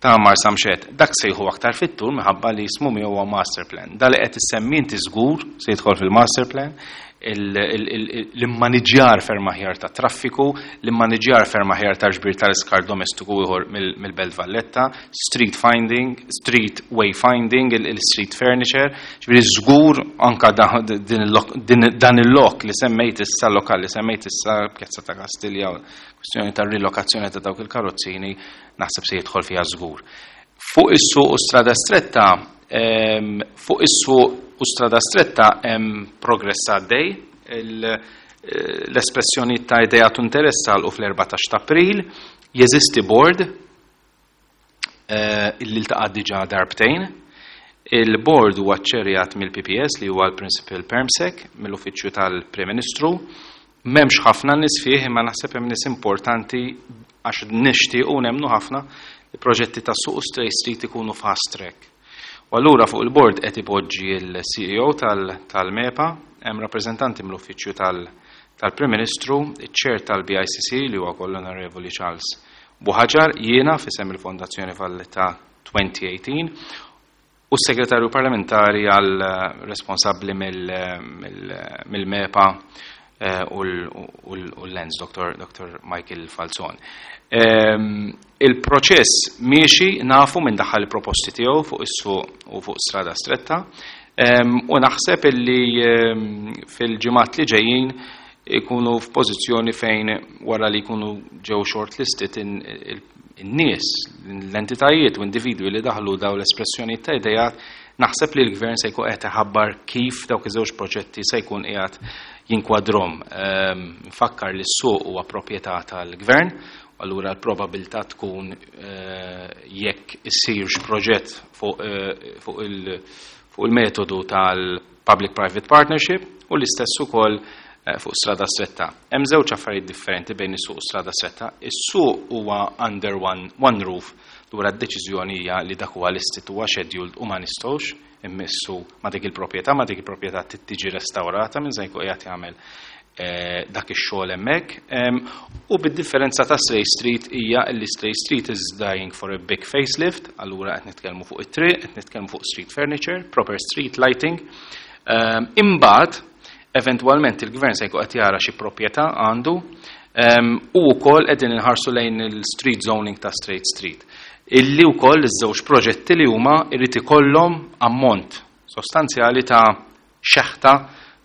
ta' Marsamxett. Dak se jieħu aktar fit-tul minħabba li jismu miegħu huwa master plan. Da li qed issemmi inti żgur se jidħol fil-master plan, l-immaniġjar ferm aħjar ta' traffiku, l-immaniġjar ferm aħjar ta' ġbir tal-iskart domestiku ieħor mill-Belt Valletta, street finding, street wayfinding, il-street furniture, ġifieri żgur anka dan il-lok li semmejt issa, lokal li semmejt issa Pjazza ta' Kastilja, kwestjoni ta' rilokazzjoni ta' dawk il-karozzini, naħseb se jidħol fiha żgur. Fuq is-suq u Strada Stretta fuq is-suq u Strada Stretta hemm progress għaddej. L-espressjoni ta' idea tu interess għal u fl-14 ta' April, jeżisti board. Illi ltaqa' diġà darbtejn. Il-board huwa ċċerjat mill-PPS, li huwa l-Principal Permsec, mill-Uffiċċju tal-Prim Ministru. M'hemmx ħafna nies fih, imma naħseb hemm nies importanti għax nixtiequ nemmnu ħafna li proġetti ta' suq u Stray Street ikunu fast track. U allura fuq il-board qed ipoġġi l-CEO tal-MEPA, hemm rappreżentanti mill-Uffiċċju tal-Prim Ministru, iċ-Chair tal-BICC li huwa wkoll l-Onorevoli Charles Buhaġar, jiena f'isem il-Fondazzjoni Valletta 2018 u s-Segretarju Parlamentari għal responsabbli mill-MEPA u l-Lens, Dr. Michael Falzon. Il-proċess miexi, nafu minn daħal il-proposti tiegħu fuq is-suq u fuq strada stretta, u naħseb illi fil-ġimgħat li ġejjin ikunu f'pożizzjoni fejn wara li jkunu ġew shortlisted in-nies, l-entitajiet u individwi li daħlu daw l-espressjoni ta' idejat, naħseb li l-gvern se jkun qed iħabbar kif dawk iż-żewġ proġetti se jkun qiegħed jinkwadrom. Nfakkar li s-suq huwa proprjetà tal-gvern, allura l-probabilità tkun jekk issirx proġett fuq il-metodu tal-Public-Private Partnership u l-istess ukoll fuq strada stretta. Hemm żewġ affarijiet differenti bejn is-suq u strada stretta. Is-suq huwa under one roof, lura d-deċiżjoni hija li dak huwa listed, huwa scheduled u ma nistgħux immissu ma dik il-proprjetà, ma dik il-proprjetà trid tiġi restaurata minn se jkun qiegħed jagħmel dak ix-xogħol hemmhekk. U bid-differenza ta' Stray Street hija li Stray Street is dying for a big facelift, allura qed nitkellmu fuq it-triq, qed nitkellmu fuq street furniture, proper street lighting. Imbagħad eventwalment il-gvern se jkun qed jara xi proprjetà għandu, u wkoll qegħdin inħarsu lejn il-street zoning ta' Straight Street. Illi wkoll iż-żewġ proġetti li huma jrid ikollhom ammont sostanzjali ta' xeħta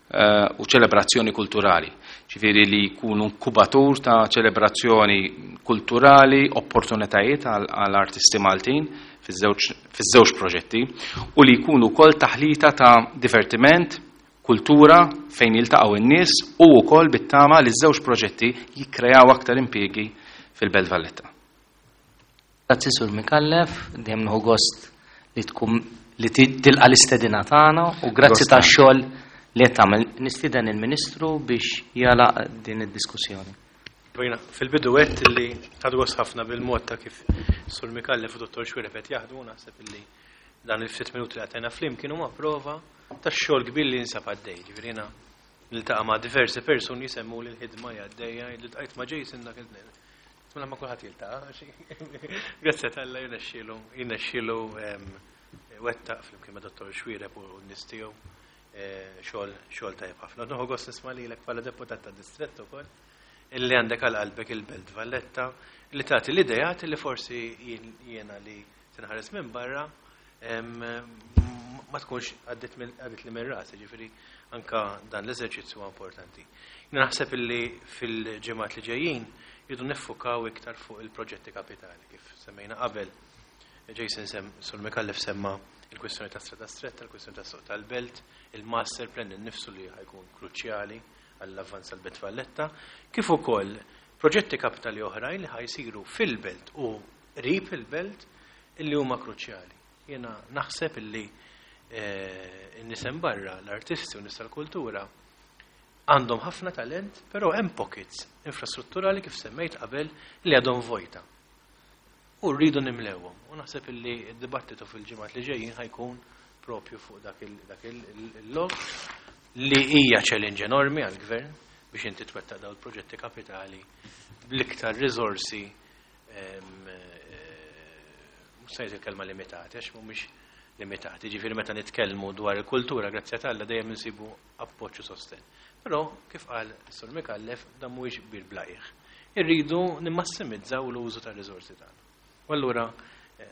u ċelebrazzjoni kulturali. Ġifieri li jkunu inkubatur ta' ċelebrazzjoni kulturali, opportunitajiet għal artisti Maltin fiż-żewġ proġetti u li jkunu wkoll taħlita ta' divertiment, kultura fejn jiltaqgħu n-nies u wkoll bit-tama li ż-żewġ proġetti jikkreaw aktar impjiegi fil-Belt Valletta. Grazzi, Sur Micallef, dejjem nieħu gost li tkun li tilqa l-istedina tagħna u grazzi tax-xogħol li qed tagħmel. Nistieden il-Ministru biex jagħlaq din id-diskussjoni. Fil-bidu għedt li ħadt gost ħafna bil-mod ta' kif Sur Micallef u Dottor Xuereb qed jaħdmu, naħseb illi dan il-ftit minuti li għatajna flimkien huma prova tax-xogħol kbir li jinsab għaddej. Ġifieri jiena niltaqa' ma' diversi persuni jisemmu li l-ħidma hija għaddejja, li ltqajt ma' Jason dak il-tnejn. Mela ma kulħadd jiltaqa'. Grazzi t'Alla jirnexxielu wettaq flimkien ma' Dottor Xuereb u n-nies tiegħu xogħol tajjeb ħafna. Nieħu gost nisma' lilek bħala deputat ta' distrett ukoll illi għandek għal qalbek il-Belt Valletta li tagħti l-idejat li forsi jiena li tinħares minn barra ma tkunx għaddit li minn rasi, ġifieri anka dan l-eżerċizzju huwa importanti. Jiena naħseb illi fil-ġimgħat li ġejjin jridu niffukaw iktar fuq il-proġetti kapitali kif semmejna qabel. Jason sem, Sur Micallef semma il-kwistjoni ta' strada stretta, il-kwistjoni ta' suq tal-belt, il-master plan innifsu li ħa jkun kruċjali għall-avvanz tal-Belt Valletta, kif ukoll proġetti kapitali oħrajn li ħa jsiru fil-belt u qrib il-belt illi huma kruċjali. Jiena naħseb illi n-nies hemm barra, l-artisti u nies tal-kultura għandhom ħafna talent, però hemm pockets infrastrutturali kif semmejt qabel li għadhom vojta. U rridu nimlewhom. U naħseb illi d-dibattitu fil-ġimgħat li ġejjin ħa jkun propju fuq dak il-lok li hija challenge enormi għall-gvern biex inti twettaq dawn il-proġetti kapitali bl-iktar riżorsi, mhux se ngħid il-kelma limitati, għax mhumiex limitati. Ġifieri meta nitkellmu dwar il-kultura, grazzi t'Alla dejjem insibu appoġġ u sosten. Però kif qal Sur Micallef, dan mhuwiex bir bla qiegħ. Irridu nimmassimizzaw l-użu tar-riżorsi tagħna. U allura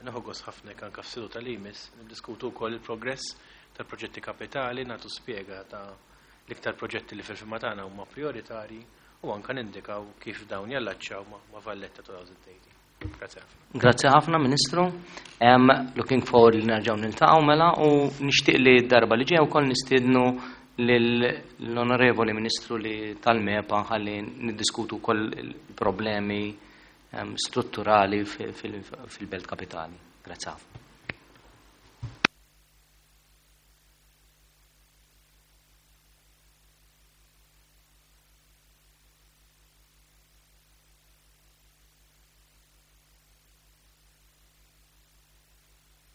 nieħu gost ħafna jekk anke f'seduta li jmiss niddiskutu wkoll il-progress tal-proġetti kapitali, nagħtu spjega ta' l-iktar proġetti li fil-fehma tagħna huma prioritari u anke nindikaw kif dawn jallaċċaw ma' Valletta 2018. Grazie ħafna. Grazie ħafna, Ministru. Looking forward li nerġgħu niltaqgħu mela u nixtieq li d-darba li ġejja wkoll nistiednu l-Onorevoli Ministru li tal-MEPA ħalli niddiskutu wkoll il-problemi strutturali fil-Belt Kapitali. Grazzi ħafna.